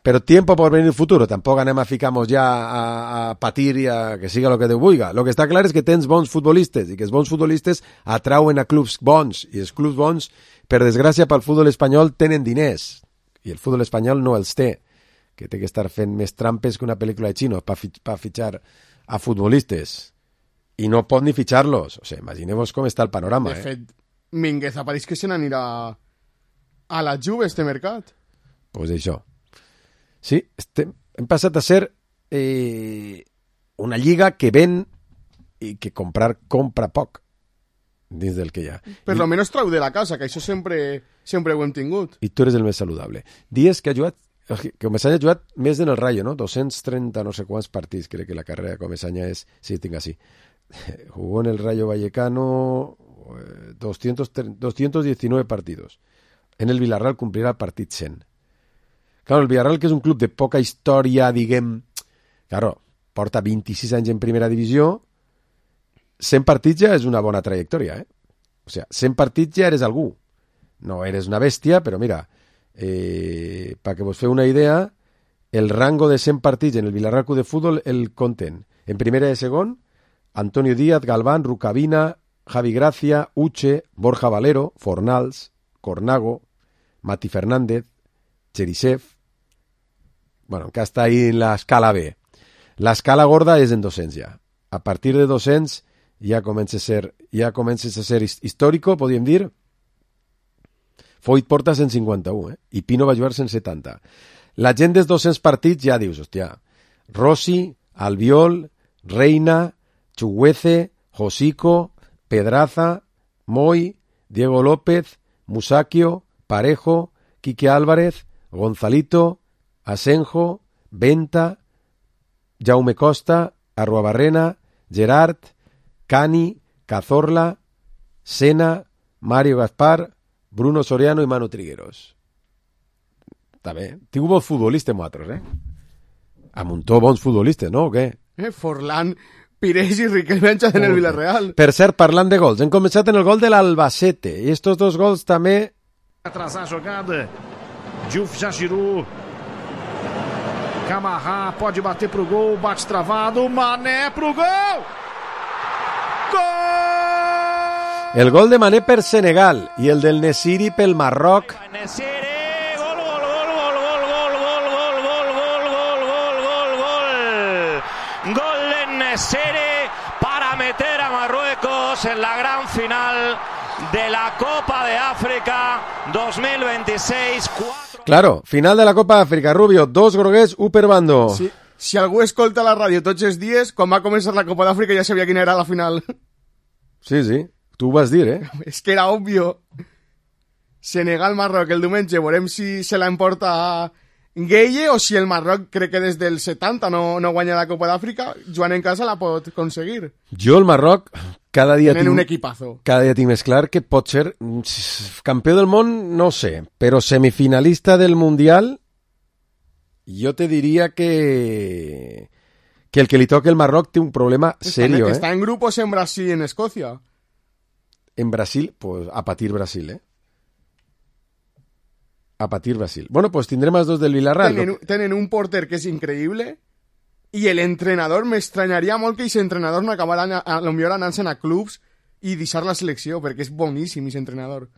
Pero tiempo por venir futuro. Tampoc anem a ficar-nos ja a, a patir i a que siga lo que Déu vulga. Lo que està clar és que tens bons futbolistes i que els bons futbolistes atrauen a clubs bons i els clubs bons, per desgràcia pel futbol espanyol, tenen diners i el futbol espanyol no els té, que té que estar fent més trampes que una pel·lícula de xinos per fi, pa fitxar a futbolistes i no pot ni fitxar-los. O sigui, imagineu-vos com està el panorama. De eh? fet, Mingueza pareix que se n'anirà a la Juve este mercat. Pues això. Sí, estem, hem passat a ser eh, una lliga que ven i que comprar compra poc dins del que hi ha. Per I, lo menos trau de la casa, que això sempre, sempre ho hem tingut. I tu eres el més saludable. Dies que ha jugat, que Comesaña ha jugat més en el Rayo, no? dos-cents trenta no sé quants partits, crec que la carrera de Comesaña és, sí, tinc així. Jugó en el Rayo Vallecano eh, doscientos diecinueve partidos. En el Villarreal cumplirà el partit cent. Claro, el Villarreal, que és un club de poca història, diguem... Claro, porta vint-i-sis anys en primera divisió, cent partits ja és una bona trajectòria, eh? O sigui, cent partits ja eres algú. No eres una bèstia, però mira, eh, perquè vos feu una idea, el rango de cent partits en el Villarreal Club de Fútbol el conten. En primera i segon, Antonio Díaz, Galván, Rucabina, Javi Gracia, Uche, Borja Valero, Fornals, Cornago, Mati Fernández, Cherisev. Bueno, que està ahí en l'escala B. L'escala gorda és en dos-cents ja. A partir de dos-cents ja comença a ser, ja comença a ser històrico, podríem dir. Foyt porta cent cinquanta-u, eh? I Pino va jugar cent setanta. La gent dels dos-cents partits ja dius, hòstia, Rossi, Albiol, Reina, Chuguece, Josico, Pedraza, Moy, Diego López, Musacchio, Parejo, Quique Álvarez, Gonzalito, Asenjo, Venta, Jaume Costa, Arruabarrena, Gerard, Cani, Cazorla, Sena, Mario Gaspar, Bruno Soriano i Manu Trigueros. Està bé. Tinc bons futbolistes, nosaltres, eh? Amuntó bons futbolistes, no? O què? Eh, Forlán, Pires i Riquelme en el Villarreal. Per cert, parlant de gols, hem començat en el gol de l'Albacete, i estos dos gols també... Atrasar a jogada, Diouf já girou, Camará pode bater pro gol, bate travado, Mané pro gol! Gol! El gol de Mané per Senegal i el del Nesiri pel Marroc. Nesiri, gol, gol, gol, gol, gol, gol, gol, gol, gol, gol, gol, gol, gol, gol. Gol de Nesiri para meter a Marruecos en la gran final de la Copa de África dos mil veintiséis. Claro, final de la Copa d'Àfrica, Rubio, dos groguers, un per bando. Sí. Si algú escolta la ràdio tots els dies, quan va començar la Copa d'Àfrica ja sabia quina era la final. Sí, sí, tu ho vas dir, eh? És que era òbvio. Senegal-Marroc el diumenge, veurem si se la emporta Gueye o si el Marroc, crec que des del setanta no, no guanya la Copa d'Àfrica, jugant en casa la pot aconseguir. Jo el Marroc cada dia Tenen tinc, un equipazo. Cada dia tinc més clar que pot ser campió del món, no sé, però semifinalista del Mundial, jo te diria que que el que li toca el Marroc té un problema serio, està, eh? Està en grupos en Brasil i en Escòcia. en Brasil, pues a patir Brasil, ¿eh? A patir Brasil. Bueno, pues tendremos más dos del Villarreal. Tenen, tenen un porter que és increïble i l'entrenador m'estranyaria molt que aquest entrenador no acabarà a, a, a lo millor anant-se'n a clubs i deixar la selecció, perquè és boníssim aquest entrenador.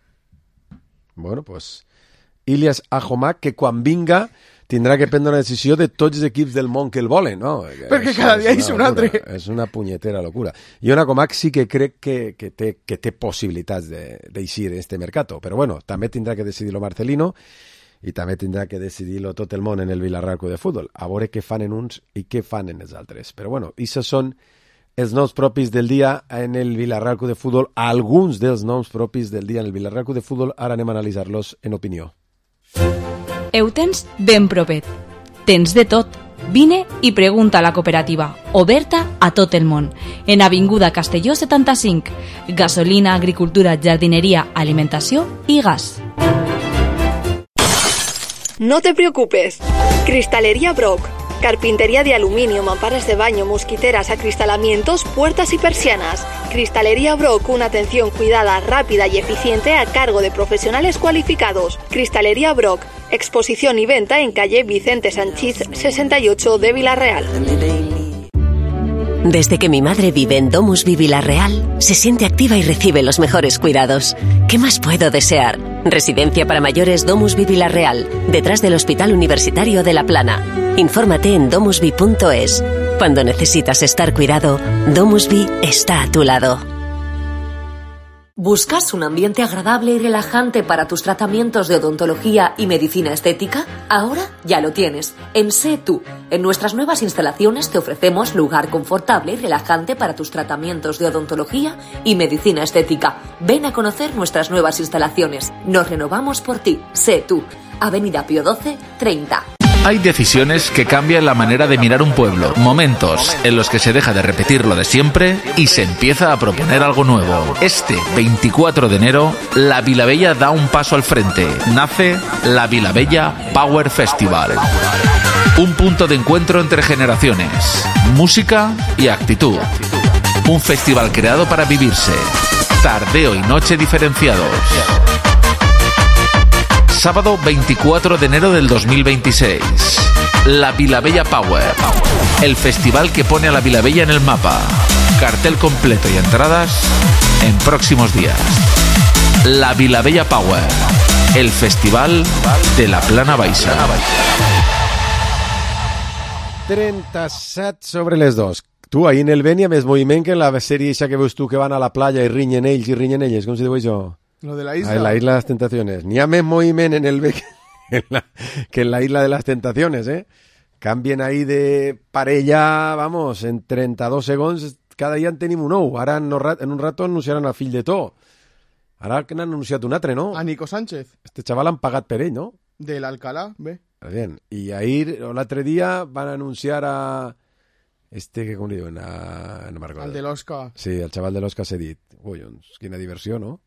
Bueno, pues Ilias Ahomak, que quan vinga tindrà que prendre una decisió de tots els equips del món que el volen, no? Perquè és, cada dia és un altre. És una punyetera locura. I una Ahomak sí que crec que, que, té, que té possibilitats d'eixir en este mercato, però bueno, també tindrà que decidir-lo Marcelino i també tindrà que decidir-lo tot el món en el Villarreal Club de Futbol, a veure què fan en uns i què fan en els altres. Però bueno, aquests són els noms propis del dia en el Villarreal Club de Futbol, alguns dels noms propis del dia en el Villarreal Club de Futbol, ara anem a analitzar-los en opinió. Ho tens ben propet. Tens de tot. Vine i pregunta a la cooperativa, oberta a tot el món. En Avinguda Castelló setanta-cinc. Gasolina, agricultura, jardineria, alimentació i gas. No te preocupes. Cristalería Brock. Carpintería de aluminio, mamparas de baño, mosquiteras, acristalamientos, puertas y persianas. Cristalería Brock, una atención cuidada, rápida y eficiente a cargo de profesionales cualificados. Cristalería Brock, exposición y venta en calle Vicente Sanchís sesenta y ocho de Villarreal. Desde que mi madre vive en Domusvi Villarreal, se siente activa y recibe los mejores cuidados. ¿Qué más puedo desear? Residencia para mayores Domusvi Villarreal, detrás del Hospital Universitario de La Plana. Infórmate en domusvi punto es. Cuando necesitas estar cuidado, Domusvi está a tu lado. ¿Buscas un ambiente agradable y relajante para tus tratamientos de odontología y medicina estética? Ahora ya lo tienes, en Sé Tú. En nuestras nuevas instalaciones te ofrecemos lugar confortable y relajante para tus tratamientos de odontología y medicina estética. Ven a conocer nuestras nuevas instalaciones. Nos renovamos por ti. Sé Tú. Avenida Pío doce, treinta. Hay decisiones que cambian la manera de mirar un pueblo, momentos en los que se deja de repetir lo de siempre y se empieza a proponer algo nuevo. Este veinticuatro de enero, la Vilabella da un paso al frente. Nace la Vilabella Power Festival. Un punto de encuentro entre generaciones, música y actitud. Un festival creado para vivirse. Tardeo y noche diferenciados. Sábado veinticuatro de enero del dos mil veintiséis. La Vilabella Power. El festival que pone a la Vilabella en el mapa. Cartel completo y entradas en próximos días. La Vilabella Power. El festival de la Plana Baixa. trenta-set sobre les dos. Tu, ahir en el Bènia, més moviment que en la sèrie eixa que veus tu que van a la playa i rinyen ells i rinyen elles. Com se diu això? Lo de la isla. Ah, la isla de las tentaciones. Ni a més moviment en el B que en, la, que en la isla de las tentaciones, ¿eh? Cambien ahí de parella, vamos, en trenta-dos segons, cada dia en tenim un nou. Ara en, en un rato anunciaran el fill de To. Ara que n'han anunciat un altre, no? A Nico Sánchez. Este xaval han pagat per ell, no? De l'Alcalá, bé. Bien. I ahir, l'altre dia, van anunciar a... Este, que com li diuen? A... No el de l'Osca. Sí, el xaval de l'Osca s'ha dit. Ui, doncs, quina diversió, no?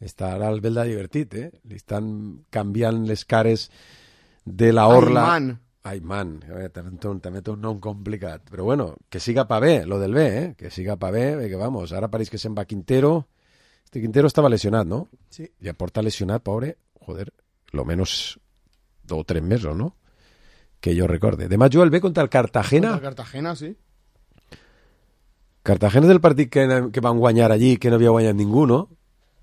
Està ara el Belda divertit, eh? Li estan canviant les cares de la orla. Ayman. Ayman. També, també té un nom complicat. Però bueno, que siga pa bé, lo del bé, eh? Que siga pa bé, que vamos, ara pareix que se'n va Quintero. Este Quintero estava lesionat, no? Sí. Ja porta lesionat, pobre, joder, lo menos dos o tres mesos, ¿no? Que jo recorde. Demà juga el B contra el Cartagena. Contra el Cartagena, sí. Cartagena és el partit que, que van guanyar allí, que no havia guanyat ningú, no?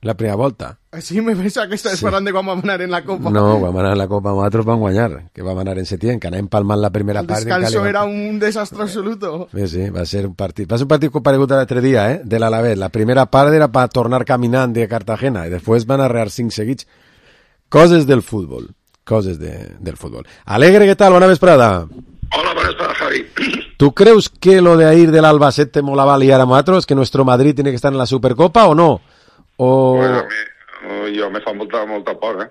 La primera volta. Sí, me pensa que estàs sí. parlant de quan vam anar en la Copa. No, quan vam anar en la Copa, nosaltres vam guanyar, que vam anar en Setién, que anàvem palmant la primera el part. El descanso era un desastre absoluto. Sí, sí, va ser un partit. Va ser un partit comparegut l'altre dia, eh, de l'Alavés. La primera part era per tornar caminant de Cartagena i després van arrear cinc seguits. Coses del futbol. Coses de, del futbol. Alegre, ¿qué tal? Buena vesprada. Hola, buenas tardes, Javi. ¿Tú crees que lo de ir del Albacete molaba liar a nosotros, que nuestro Madrid tiene que estar en la Supercopa o no? O... Pues a mi, jo me fa molta, molta por, eh?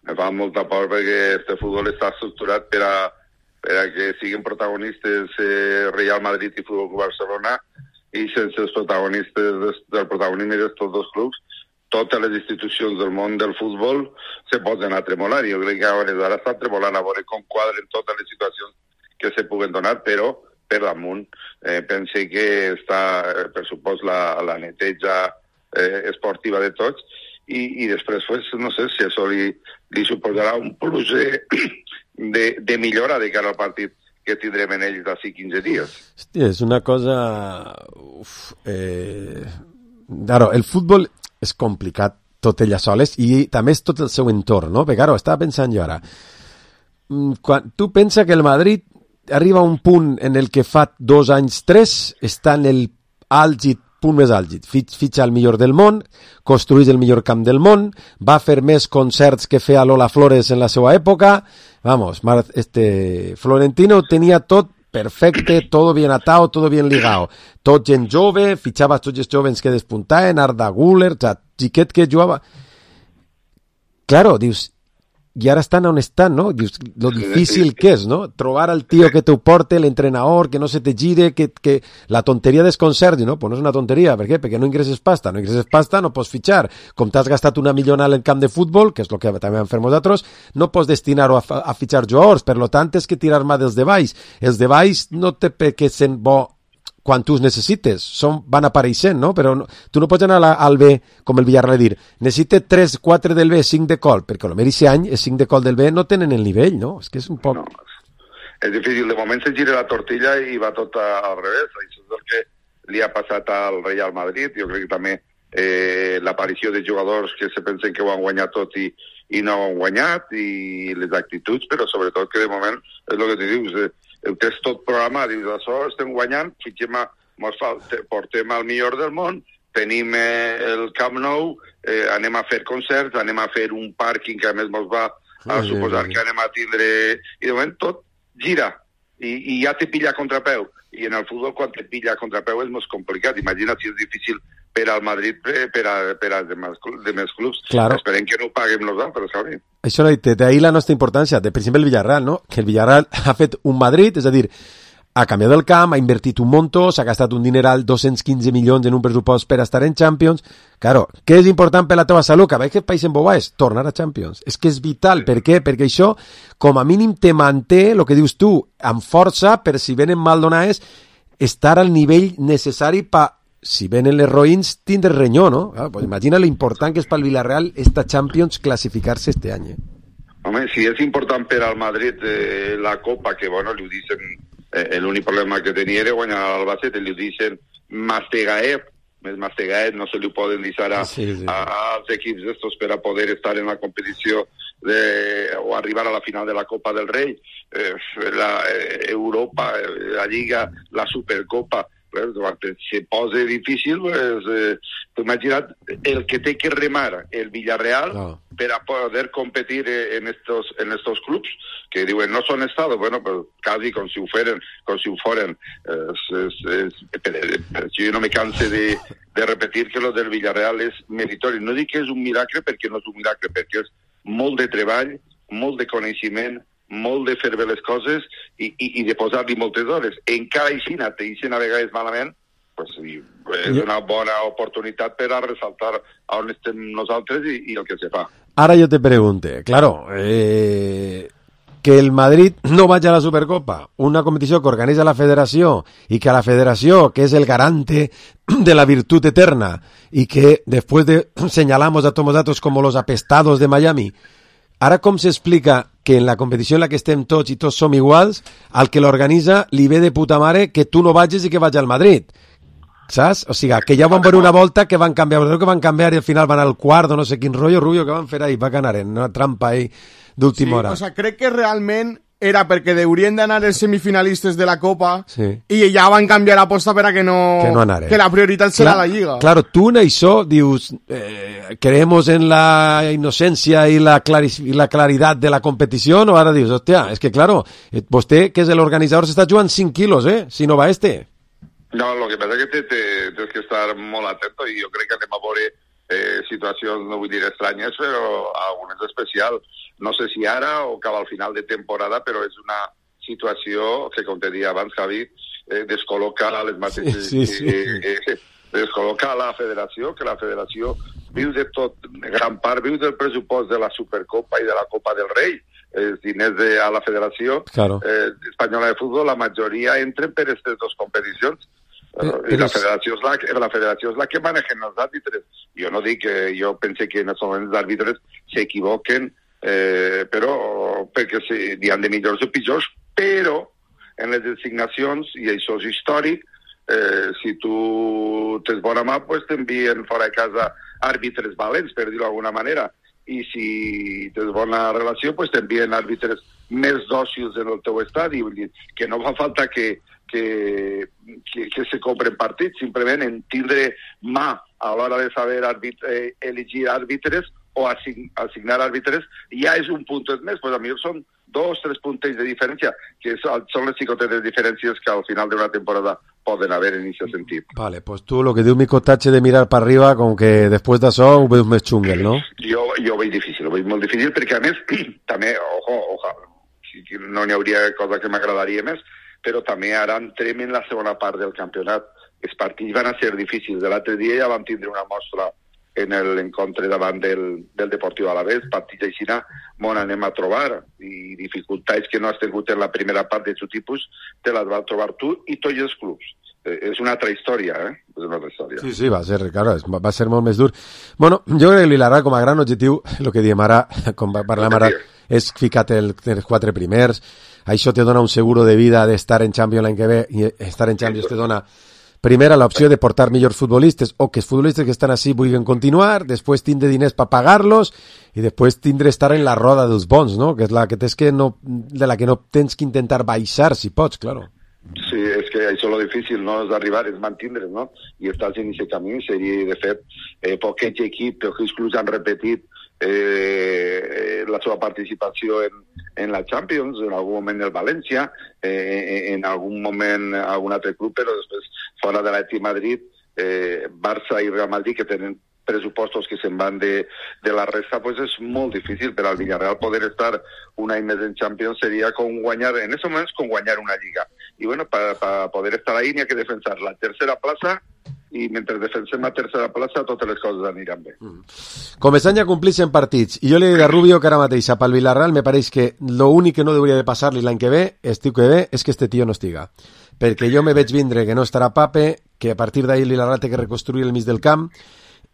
Me fa molta por perquè este futbol està estructurat per a, per a que siguin protagonistes eh, Real Madrid i Futbol Club Barcelona i sense els protagonistes des, del protagonisme d'estos dos clubs totes les institucions del món del futbol se poden a tremolar. Jo crec que ara està tremolant a veure com quadren totes les situacions que se puguen donar, però per damunt eh, pense que està, per supost, la, la neteja eh, esportiva de tots, i, i després, pues, no sé si això li, li suposarà un plus de, de, de millora de cara al partit que tindrem en ells d'ací quinze dies. Hòstia, és una cosa... Uf, eh... Claro, el futbol és complicat tot ella soles i també és tot el seu entorn, no? Perquè, claro, estava pensant jo ara, quan tu pensa que el Madrid arriba a un punt en el que fa dos anys, tres, està en el àlgid, punt més àlgid, fitxa el millor del món, construeix el millor camp del món, va fer més concerts que feia Lola Flores en la seva època, vamos, este Florentino tenia tot perfecte, todo bien atado, todo bien ligado, tot gent jove, fitxava tots els jovens que despuntaven, Arda Güler, o sea, xiquet que jugava. Claro, dius, i ara estan on estan, no? Dius, lo difícil que és, no? Trobar al tío que te porte, l'entrenador, que no se te gire, que, que la tonteria dels concerts, no? Pues no és una tonteria, per què? Perquè no ingresses pasta, no ingresses pasta, no pots fitxar. Com t'has gastat una millonada en camp de futbol, que és el que també vam fer nosaltres, no pots destinar-ho a, a fitxar jugadors, per lo tant, és que tirar mà dels de baix. Els de baix no té per què ser bo quan tu els necessites, són, van apareixent, no? Però no, tu no pots anar a, al B, com el Villarreal, a dir, necessite tres, quatre del B, cinc de col, perquè a lo millor aquest any, els cinc de col del B no tenen el nivell, no? És que és un poc... No, és difícil, de moment se gira la tortilla i va tot al revés, això és el que li ha passat al Real Madrid, jo crec que també eh, l'aparició de jugadors que se pensen que ho han guanyat tot i, i no ho han guanyat, i les actituds, però sobretot que de moment, és el que t'hi dius, eh, ho tens tot programat, dius, això estem guanyant, fitxem a, mos fa, portem al millor del món, tenim eh, el Camp Nou, eh, anem a fer concerts, anem a fer un pàrquing que a més mos va a Sí, suposar sí, sí. que anem a tindre... I de moment tot gira, i, i ja te pilla a contrapeu. I en el futbol, quan te pilla a contrapeu, és molt complicat. Imagina si és difícil per al Madrid, per a, per a demés, demés clubs. Claro. Esperem que no ho paguem nosaltres, Javi. Això l'ha dit, d'ahir la nostra importància, de, per exemple, el Villarreal, no? Que el Villarreal ha fet un Madrid, és a dir, ha canviat el camp, ha invertit un montó, s'ha gastat un dineral, dos-cents quinze milions en un pressupost per estar en Champions. Claro, què és important per la teva salut? Que veig que país en boba és tornar a Champions. És que és vital. Per què? Perquè això, com a mínim, te manté, el que dius tu, amb força, per si venen mal donades, estar al nivell necessari per, si venen les roïns, tindre renyó, no? Ah, pues imagina l'important que és pel Villarreal esta Champions classificar-se este any. Eh? Home, si és important per al Madrid eh, la Copa, que bueno, li ho dicen, eh, l'únic problema que tenia era guanyar l'Albacete, li ho dicen mastegaet, més mastegaet no se li ho poden dir ara Sí, sí. a, als equips d'estos per a poder estar en la competició de, o arribar a la final de la Copa del Rei, eh, la eh, Europa, eh, la Lliga, la Supercopa, pues, quan se posa difícil, pues, eh, t'ho imagina't el que té que remar el Villarreal No. per a poder competir en estos, en estos clubs que diuen no són estados, bueno, pues casi com si ho feren, com si ho foren. Es, es, es, però, però jo no me canse de, de repetir que lo del Villarreal és meritori. No dic que és un miracle perquè no és un miracle, perquè és molt de treball, molt de coneixement, molt de fer bé les coses i, i, i de posar-li moltes hores. Encara així, te deixen a vegades malament, pues, sí, és una bona oportunitat per a ressaltar on estem nosaltres i, i el que se fa. Ara jo te pregunte, claro, eh, que el Madrid no vaya a la Supercopa, una competició que organitza la federació i que a la federació, que és el garante de la virtud eterna y que después de señalamos a todos datos como los apestados de Miami, ara com s'explica que en la competició en la que estem tots i tots som iguals, al que l'organitza li ve de puta mare que tu no vagis i que vagi al Madrid? Saps? O sigui, que ja van veure una volta que van canviar, que van canviar i al final van al quart o no sé quin rotllo, Rubio, que van fer ahí, va ganar en una trampa ahí d'última sí, hora. O sea, crec que realment era perquè haurien d'anar els semifinalistes de la Copa Sí. i ja van canviar l'aposta per a que no... Que no anaren. Que la prioritat serà Clar- la Lliga. Claro, tú en això dius, eh, creemos en la inocencia y la, claris- y la claridad de la competición, o ahora dius, hostia, es que claro, eh, vostè, que és l'organitzador, s'està jugant cinc quilos, eh, si no va este. No, lo que passa és que te- tens que estar molt atento i jo crec que anem a veure eh, situacions, no vull dir estranyes, però algunes especials. No sé si ara o cap al final de temporada, però és una situació que, com te deia abans, Javi, eh, descol·loca les mateixes... Sí, sí, sí. Eh, eh, descol·loca la federació, que la federació viu de tot, gran part viu del pressupost de la Supercopa i de la Copa del Rei, els diners de, a la federació Claro. eh, espanyola de futbol, la majoria entren per aquestes dues competicions. Però, I la federació, és la, la federació és la que maneja els àrbitres. Jo no dic que jo pense que en els moments els àrbitres s'equivoquen, eh, però perquè sí, hi ha de millors o pitjors, però en les designacions, i això és històric, eh, si tu tens bona mà, pues t'envien fora de casa àrbitres valents, per dir-ho d'alguna manera, i si tens bona relació, pues t'envien àrbitres més dòcils en el teu estadi, vull dir, que no fa falta que, que, que, que se compren partits, simplement en tindre mà a l'hora de saber arbit, eh, elegir àrbitres o assign, assignar àrbitres, ja és un punt més, pues a mi són dos, tres puntos de diferència, que són les xicotetes diferències que al final d'una temporada poden haver en aquest sentit. Vale, pues tu lo que diu Mico Tache de mirar para arriba, com que després d'això ho veus més xunguel, no? Jo, jo ho veig difícil, ho veig molt difícil, perquè a més, també, ojo, ojo, no n'hi hauria cosa que m'agradaria més, però també ara entrem en la segona part del campionat. Els partits van a ser difícils. L'altre dia ja vam tindre una mostra en l'encontre davant del, del Deportiu Alavés, partits així on anem a trobar, i dificultats que no has tingut en la primera part de aquest tipus, te les vas trobar tu i tots els clubs. Eh, és una altra història, eh? És una altra història. Sí, sí, va ser, claro, va ser molt més dur. Bueno, jo crec que l'Ilarà, com a gran objectiu, el que diem ara, com parlem ara, és ficar-te el, els quatre primers, això te dona un seguro de vida d'estar en Champions l'any que ve, i estar en Champions te dona primera l'opció de portar millors futbolistes o que els futbolistes que estan així vulguin continuar, després tindre diners per pagar-los i després tindre estar en la roda dels bons, no? Que és la que tens que no, de la que no tens que intentar baixar, si pots, claro. Sí, és que això és lo difícil, no? És arribar, és mantindre's, no? I estàs en aquest camí, seria, de fet, eh, poquets equips, pocs clubs han repetit eh, la seva participació en, en la Champions, en algun moment el València, eh, en algun moment algun altre club, però després fora de l'Atlètic Madrid, eh, Barça i Real Madrid, que tenen pressupostos que se'n van de, de la resta, pues és molt difícil per al Villarreal poder estar un any més en Champions, seria com guanyar, en aquests moments, com guanyar una lliga. I bueno, per poder estar ahí n'hi ha que defensar la tercera plaça, i mentre defensem la tercera plaça totes les coses aniran bé. Mm. Començant ja a complir-se en partits, i jo li dic a Rubio que ara mateix a pel Villarreal me pareix que l'únic que no hauria de passar-li l'any que ve, estiu que ve, és que este tio no estiga. Perquè jo me veig vindre que no estarà Pape, que a partir d'ahir l'Villarreal té que reconstruir el mig del camp,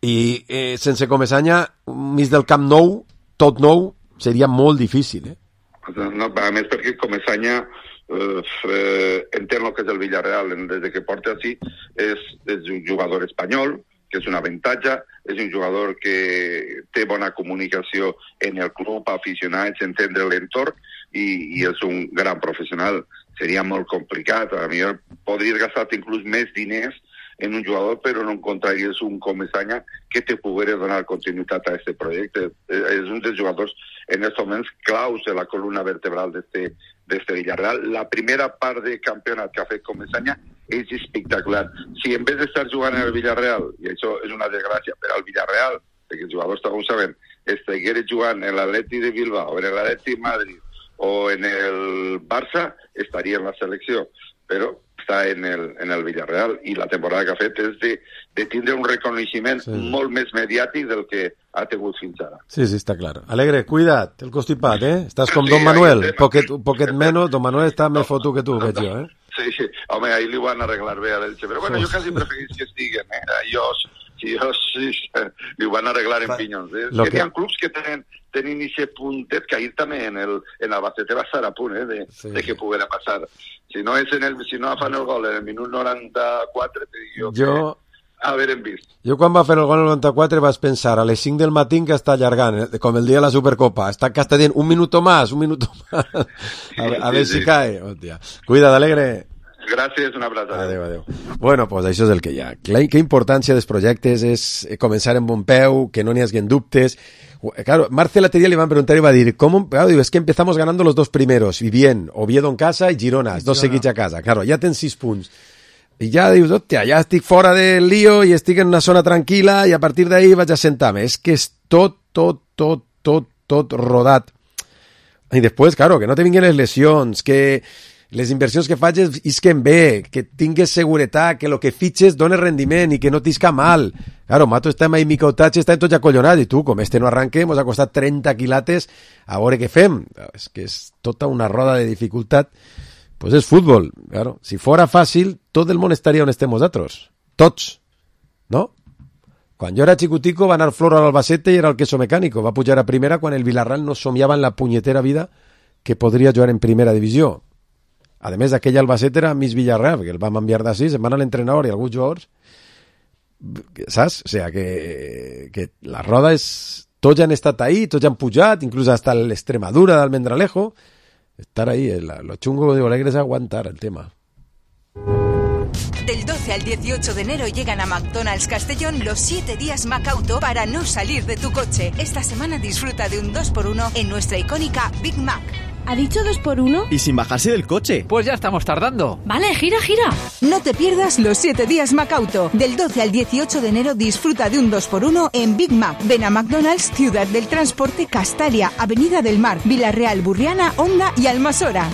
i eh, sense Comesaña, un mig del camp nou, tot nou, seria molt difícil, eh? No, a més perquè Comesaña eh, eh, entén el que és el Villarreal des que porta així, és, és un jugador espanyol, que és un avantatge, és un jugador que té bona comunicació en el club, aficionats, entendre l'entorn, i, i és un gran professional. Seria molt complicat, a mi podries gastar inclús més diners en un jugador, però no encontraries un Comesaña que te poguera donar continuïtat a aquest projecte. És un dels jugadors en aquests moments claus de la columna vertebral d'este Villarreal. La primera part de campionat que ha fet Comesaña és espectacular. Si en vez d'estar jugant en el Villarreal, i això és una desgràcia per al Villarreal, perquè els jugadors també ho saben, estigués jugant en l'Atlètic de Bilbao, en l'Atlètic Madrid o en el Barça, estaria en la selecció. Però està en el, en el Villarreal, i la temporada que ha fet és de, de tindre un reconeixement sí. molt més mediàtic del que ha tingut fins ara. Sí, sí, està clar. Alegre, cuida't, el constipat, eh? Estàs com sí, Don Manuel, poquet, poquet menos, Don Manuel està més fotu que tu, veig jo, eh? Sí, sí, home, ahí li van arreglar bé a l'Elche, però bueno, jo quasi preferís que estiguen, eh? Jo, sí, jo, sí, li van arreglar en pinyons, eh? Que, que hi ha clubs que tenen tenint aquest puntet que ahir també en el, en el Albacete va estar a punt, eh, de, sí. de que poguera passar. Si no, és en el, si no fan el gol en el minut noranta-quatre, te dic jo, jo que haverem vist. Jo quan va fer el gol en el noranta-quatre vaig pensar a les cinc del matí que està allargant, eh, com el dia de la Supercopa. Està que està dient un minuto más, un minuto más. A, sí, a ver sí, si sí. cae. Hòstia. Cuida't, Alegre. Gràcies, una abraçada. Adéu, adéu. Bueno, pues això és el que hi ha. Qué importància dels projectes és començar en bon peu, que no n'hi haguen dubtes. Claro, Marcel l'altre dia le van preguntar y va a decir, ¿cómo? Claro, digo, es que empezamos ganando los dos primeros, y bien, Oviedo en casa y Girona, dos seguits a casa. Claro, ja tens sis punts. I ja dius, hòstia, ja estic fora del lío i estic en una zona tranquil·la i a partir d'ahí vaig a sentar-me. És que és tot, tot, tot, tot, tot rodat. I després, claro, que no te vinguin les lesions, que les inversions que faig isquen bé, que tingues seguretat, que el que fitxes doni rendiment i que no t'isca mal. Claro, Mato està amb Mico Tache, està en tots acollonats, i tu, com este no arranque, mos ha costat trenta quilates, a veure què fem. És que és tota una roda de dificultat pues és futbol. Claro, si fora fàcil, tot el món estaria on estem nosaltres. Tots, no? Quan jo era xicutico va anar Flor a l'Albacete i era el queso mecànico. Va pujar a primera quan el Villarreal no somiava en la punyetera vida que podria jugar en primera divisió. A més, aquell Albacete era mig Villarreal, que el vam enviar d'ací, se'n van a l'entrenador i alguns jugadors, saps? O sea, que, que la roda és... Tots han estat ahí, tots han pujat, inclús hasta l'Extremadura d'Almendralejo. Estar ahí, lo chungo de Alegre es aguantar el tema. Del doce al dieciocho de enero llegan a McDonald's Castellón los siete días Macauto para no salir de tu coche. Esta semana disfruta de un dos por uno en nuestra icónica Big Mac. ¿Ha dicho dos por uno? Y sin bajarse del coche. Pues ya estamos tardando. Vale, gira, gira. No te pierdas los siete días Macauto. Del doce al dieciocho de enero disfruta de un dos por uno en Big Mac. Ven a McDonald's, Ciudad del Transporte, Castalia, Avenida del Mar, Villarreal, Burriana, Onda i Almassora.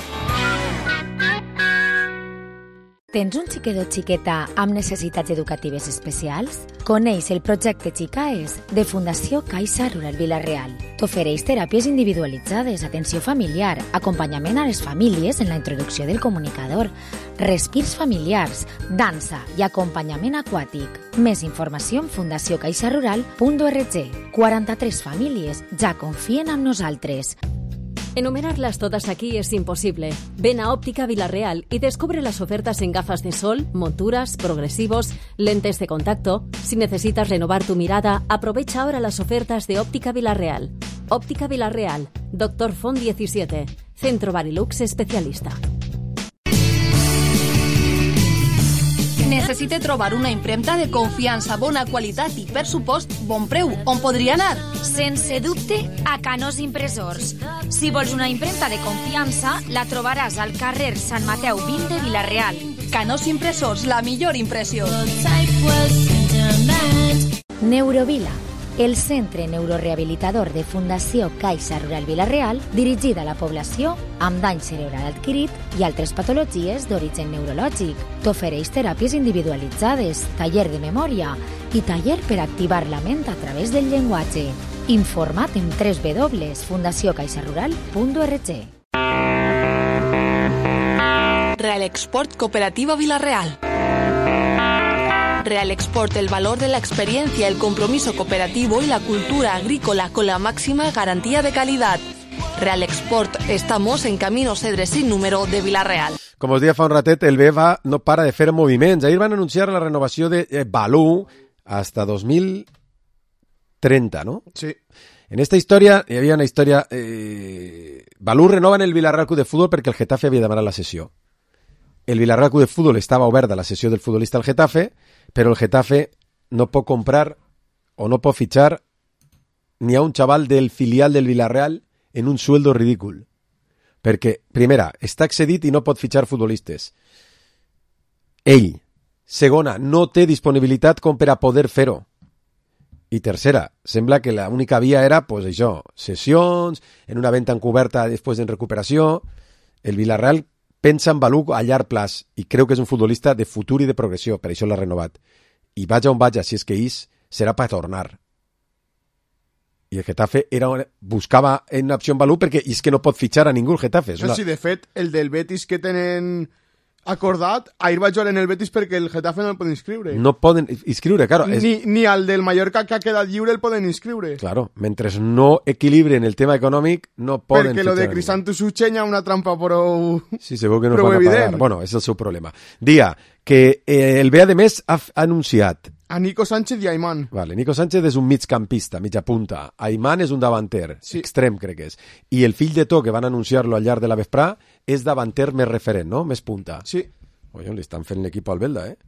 Tens un xiquet o xiqueta amb necessitats educatives especials? Coneix el projecte Xicaes de Fundació Caixa Rural Vila-real. T'ofereix teràpies individualitzades, atenció familiar, acompanyament a les famílies en la introducció del comunicador, respirs familiars, dansa i acompanyament aquàtic. Més informació en fundació caixa rural punt org. quaranta-tres famílies ja confien en nosaltres. Enumerarlas todas aquí es imposible. Ven a Óptica Vila-real y descubre las ofertas en gafas de sol, monturas, progresivos, lentes de contacto. Si necesitas renovar tu mirada, aprovecha ahora las ofertas de Óptica Vila-real. Óptica Vila-real, Doctor Font diecisiete, Centro Barilux especialista. Necessite trobar una impremta de confiança, bona qualitat i, per supost, bon preu. On podria anar? Sense dubte, a Canós Impressors. Si vols una impremta de confiança, la trobaràs al carrer Sant Mateu vint de Vila-real. Canós Impressors, la millor impressió. Neurovila, el centre neurorehabilitador de Fundació Caixa Rural Vila-real, dirigida a la població amb dany cerebral adquirit i altres patologies d'origen neurològic. T'ofereix teràpies individualitzades, taller de memòria i taller per activar la ment a través del llenguatge. Informa't en w w w punt fundació caixa rural punt org. Real Export Cooperativa Vila-real. Real Export, el valor de la experiencia, el compromiso cooperativo y la cultura agrícola con la máxima garantía de calidad. Real Export, estamos en Camino Cedre sin número de Vila-real. Com us deia fa un ratet, el B E va no para de fer moviments. Ahir van anunciar la renovació de eh, Balú hasta dos mil trenta, ¿no? Sí. En esta història, hi havia una història... Eh, Balú renova en el Villarreal Club de Futbol perquè el Getafe havia demanat la cessió. El Villarreal Club de Futbol estava obert a la cessió del futbolista al Getafe, però el Getafe no pot comprar o no pot fitxar ni a un xaval del filial del Villarreal en un sueldo ridícul. Perquè, primera, està excedit i no pot fitxar futbolistes. Ell. Segona, no té disponibilitat com per a poder fer-ho. I tercera, sembla que l'única via era, pues això, sessions, en una venta encoberta després en recuperació. El Villarreal pensa en Balú a llarg plaç i creu que és un futbolista de futur i de progressió, per això l'ha renovat. I vaja on vaja, si és que és, serà per tornar. I el Getafe era, buscava en una opció en Balú perquè és que no pot fitxar a ningú el Getafe. No, una... Sí, de fet, el del Betis que tenen acordat, ahir va jugar en el Betis perquè el Getafe no el poden inscriure. No poden inscriure, claro. Ni, és... ni al del Mallorca que ha quedat lliure el poden inscriure. Claro, mentre no equilibren el tema econòmic, no poden perquè lo de Crisanto Suchenya una trampa prou... Sí, segur que no fan a pagar. Bueno, és el seu problema. Dia, que eh, el B A de més ha anunciat a Nico Sánchez i Aimán. Vale, Nico Sánchez és un migcampista, mitja punta. Aimán és un davanter, sí. Extrem crec que és. I el fill de To, que van anunciar-lo al llarg de la vesprà, és davanter més referent, no? Més punta. Sí. Oye, li estan fent l'equip al Belda, eh?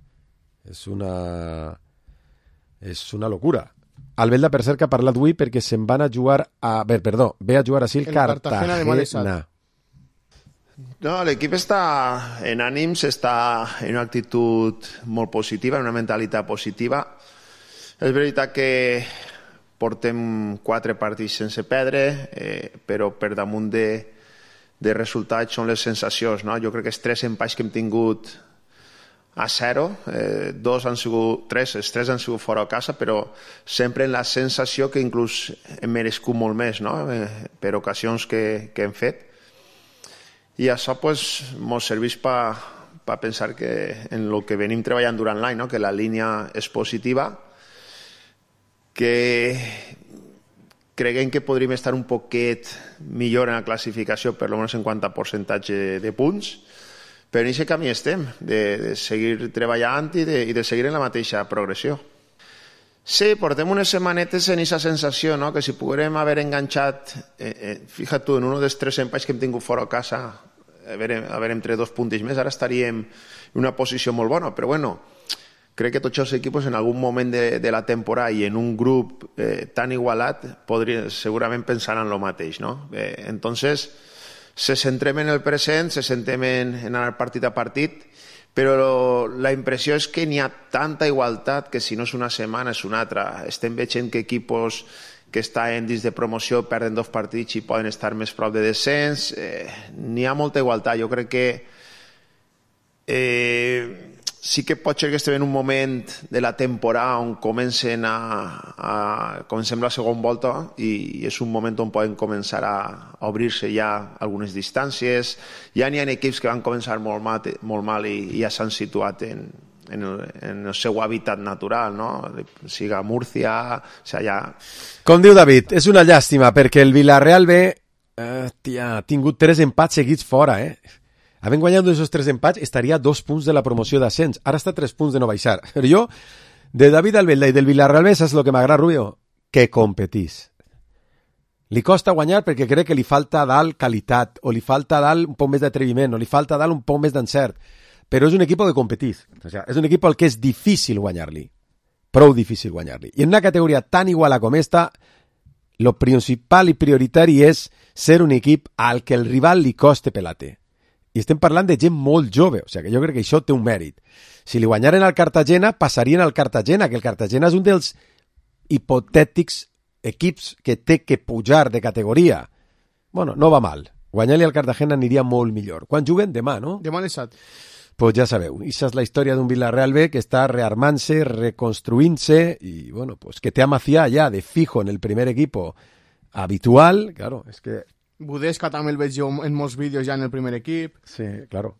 És una... És una locura. El Belda, per cert, que ha parlat avui perquè se'n van a jugar a... Bé, perdó, ve a jugar així el, el Cartagena. Cartagena de No, l'equip està en ànims, està en una actitud molt positiva, en una mentalitat positiva. És veritat que portem quatre partits sense perdre, eh, però per damunt de, de resultats són les sensacions, no? Jo crec que els tres empats que hem tingut a zero, eh, dos han sigut, tres, els tres han sigut fora a casa, però sempre en la sensació que inclús hem merescut molt més, no? Eh, per ocasions que, que hem fet. i això pues, mos serveix per pa pensar que en el que venim treballant durant l'any, no? Que la línia és positiva, que creguem que podríem estar un poquet millor en la classificació, per almenys en quant a percentatge de punts, però en aquest camí estem, de, de seguir treballant i de, i de seguir en la mateixa progressió. Sí, portem unes setmanetes en aquesta sensació, no? Que si poguérem haver enganxat, eh, eh, fixa't tu, en un dels tres empats que hem tingut fora a casa, haver, haver entre dos punts més, ara estaríem en una posició molt bona, però bueno, crec que tots els equips en algun moment de, de la temporada i en un grup eh, tan igualat podria, segurament pensaran el mateix, no? Eh, entonces, se centrem en el present, se centrem en, en anar partit a partit, però la impressió és que n'hi ha tanta igualtat que si no és una setmana és una altra. Estem veient que equips que estan dins de promoció perden dos partits i poden estar més prop de descens. Eh, n'hi ha molta igualtat. Jo crec que eh, sí que pot ser que estem en un moment de la temporada on comencen a, a comencem la segona volta i és un moment on poden començar a obrir-se ja algunes distàncies. Ja n'hi ha equips que van començar molt mal, molt mal i, i ja s'han situat en, en, el, en el seu hàbitat natural, no? Siga Múrcia, o sigui, ja... Com diu David, és una llàstima perquè el Villarreal B eh, tia, ha tingut tres empats seguits fora, eh? Havent guanyat aquests tres empats, estaria a dos punts de la promoció d'ascens. Ara està a tres punts de no baixar. Però jo, de David Albelda i del Villarreal B, saps el que m'agrada, Rubio? Que competís. Li costa guanyar perquè crec que li falta a dalt qualitat, o li falta a dalt un poc més d'atreviment, o li falta a dalt un poc més d'encert. Però és un equip que competís. O sigui, és un equip al que és difícil guanyar-li. Prou difícil guanyar-li. I en una categoria tan igual com esta, lo principal i prioritari és ser un equip al que el rival li coste pelate. I estem parlant de gent molt jove, o sigui que jo crec que això té un mèrit. Si li guanyaren al Cartagena, passarien al Cartagena, que el Cartagena és un dels hipotètics equips que té que pujar de categoria. Bueno, no va mal. Guanyar-li al Cartagena aniria molt millor. Quan juguen? Demà, no? Demà a les set. Pues ja sabeu, aquesta és la història d'un Villarreal B que està rearmant-se, reconstruint-se i, bueno, pues que té a Macià ja de fijo en el primer equipo habitual. Claro, és que... Budesca també el veig jo en molts vídeos ja en el primer equip. Sí, claro.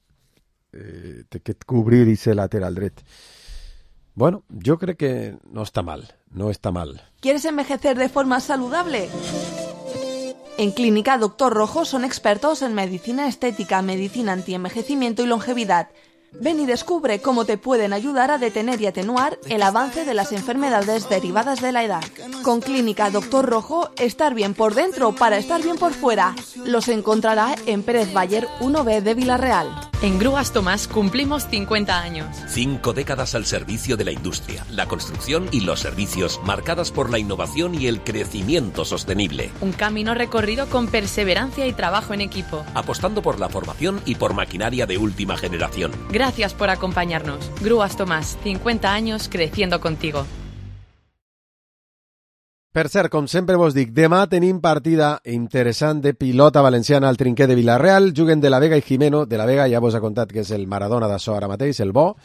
Eh, té que cobrir i ser lateral dret. Bueno, yo creo que no está mal, no está mal. ¿Quieres envejecer de forma saludable? En Clínica Doctor Rojo son expertos en medicina estética, medicina antienvejecimiento y longevidad. Ven y descubre cómo te pueden ayudar a detener y atenuar el avance de las enfermedades derivadas de la edad. Con Clínica Doctor Rojo, estar bien por dentro para estar bien por fuera. Los encontrará en Pérez Bayer uno B de Villarreal. En Grúas Tomás cumplimos cincuenta años. Cinco décadas al servicio de la industria, la construcción y los servicios, marcadas por la innovación y el crecimiento sostenible. Un camino recorrido con perseverancia y trabajo en equipo. Apostando por la formación y por maquinaria de última generación. Gracias por acompañarnos. Grúas Tomás, cincuenta años creciendo contigo. Per cert, com sempre vos dic, demà tenim partida interessant de pilota valenciana al trinquer de Villarreal. Juguen de la Vega i Jimeno. De la Vega ja vos ha contat que és el Maradona d'açò ara mateix, el bo,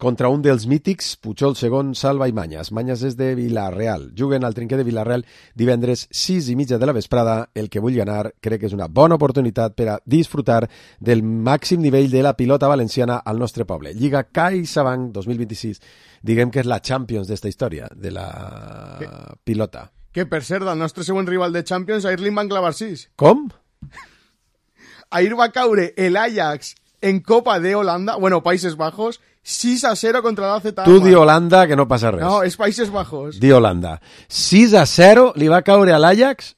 contra un dels mítics, Pujol segon, Salva i Manyas. Manyas és de Villarreal. Juguen al trinquer de Villarreal divendres sis i mitja de la vesprada. El que vulgui anar crec que és una bona oportunitat per a disfrutar del màxim nivell de la pilota valenciana al nostre poble. Lliga CaixaBank dos mil vint-i-sis. Diguem que és la Champions d'esta història, de la que, pilota. Que, per cert, el nostre següent rival de Champions, ahir li van clavar sis. Com? Ahir va caure el Ajax en Copa de Holanda, bueno, Países Bajos, sis a zero contra l'A Z. Tu di Holanda, que no passa res. No, és Países Bajos. Di Holanda. sis a zero li va caure a l'Ajax?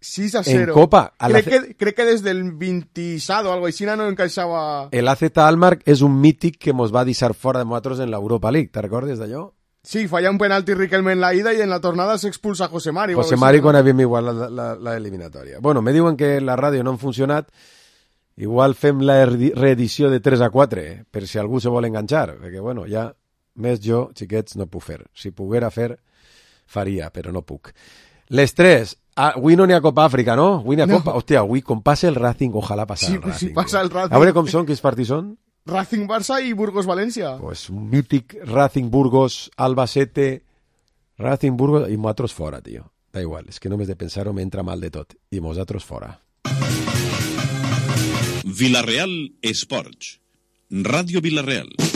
sis a zero. En Copa. A crec, la... que, crec que des del vint-i-set o algo així no encaixava... El A Z Alkmaar és un mític que mos va deixar fora de nosaltres en l'Europa League. Te recordes d'allò? Sí, falla un penalti Riquelme en la ida i en la tornada s'expulsa a José Mari. José Mari quan havíem igual la, la, la eliminatòria. Bueno, me diuen que la ràdio no han funcionat. Igual fem la reedició de tres a quatre, eh? Per si algú se vol enganxar. Perquè, bueno, ja més jo, xiquets, no puc fer. Si poguera fer, faria, però no puc. Les tres... Ah, avui no n'hi ha Copa Àfrica, no? Avui n'hi ha no. Copa... Hòstia, avui com passa el Racing, ojalà passa sí, el Racing. Sí, passa el Racing. A veure com són, quins partits són? Racing Barça i Burgos València. Pues un mític Racing Burgos, Albacete, Racing Burgos i nosaltres fora, tio. Da igual, és que només de pensar-ho m'entra mal de tot. I nosaltres fora. Vila-real Esports. Ràdio Vila-real.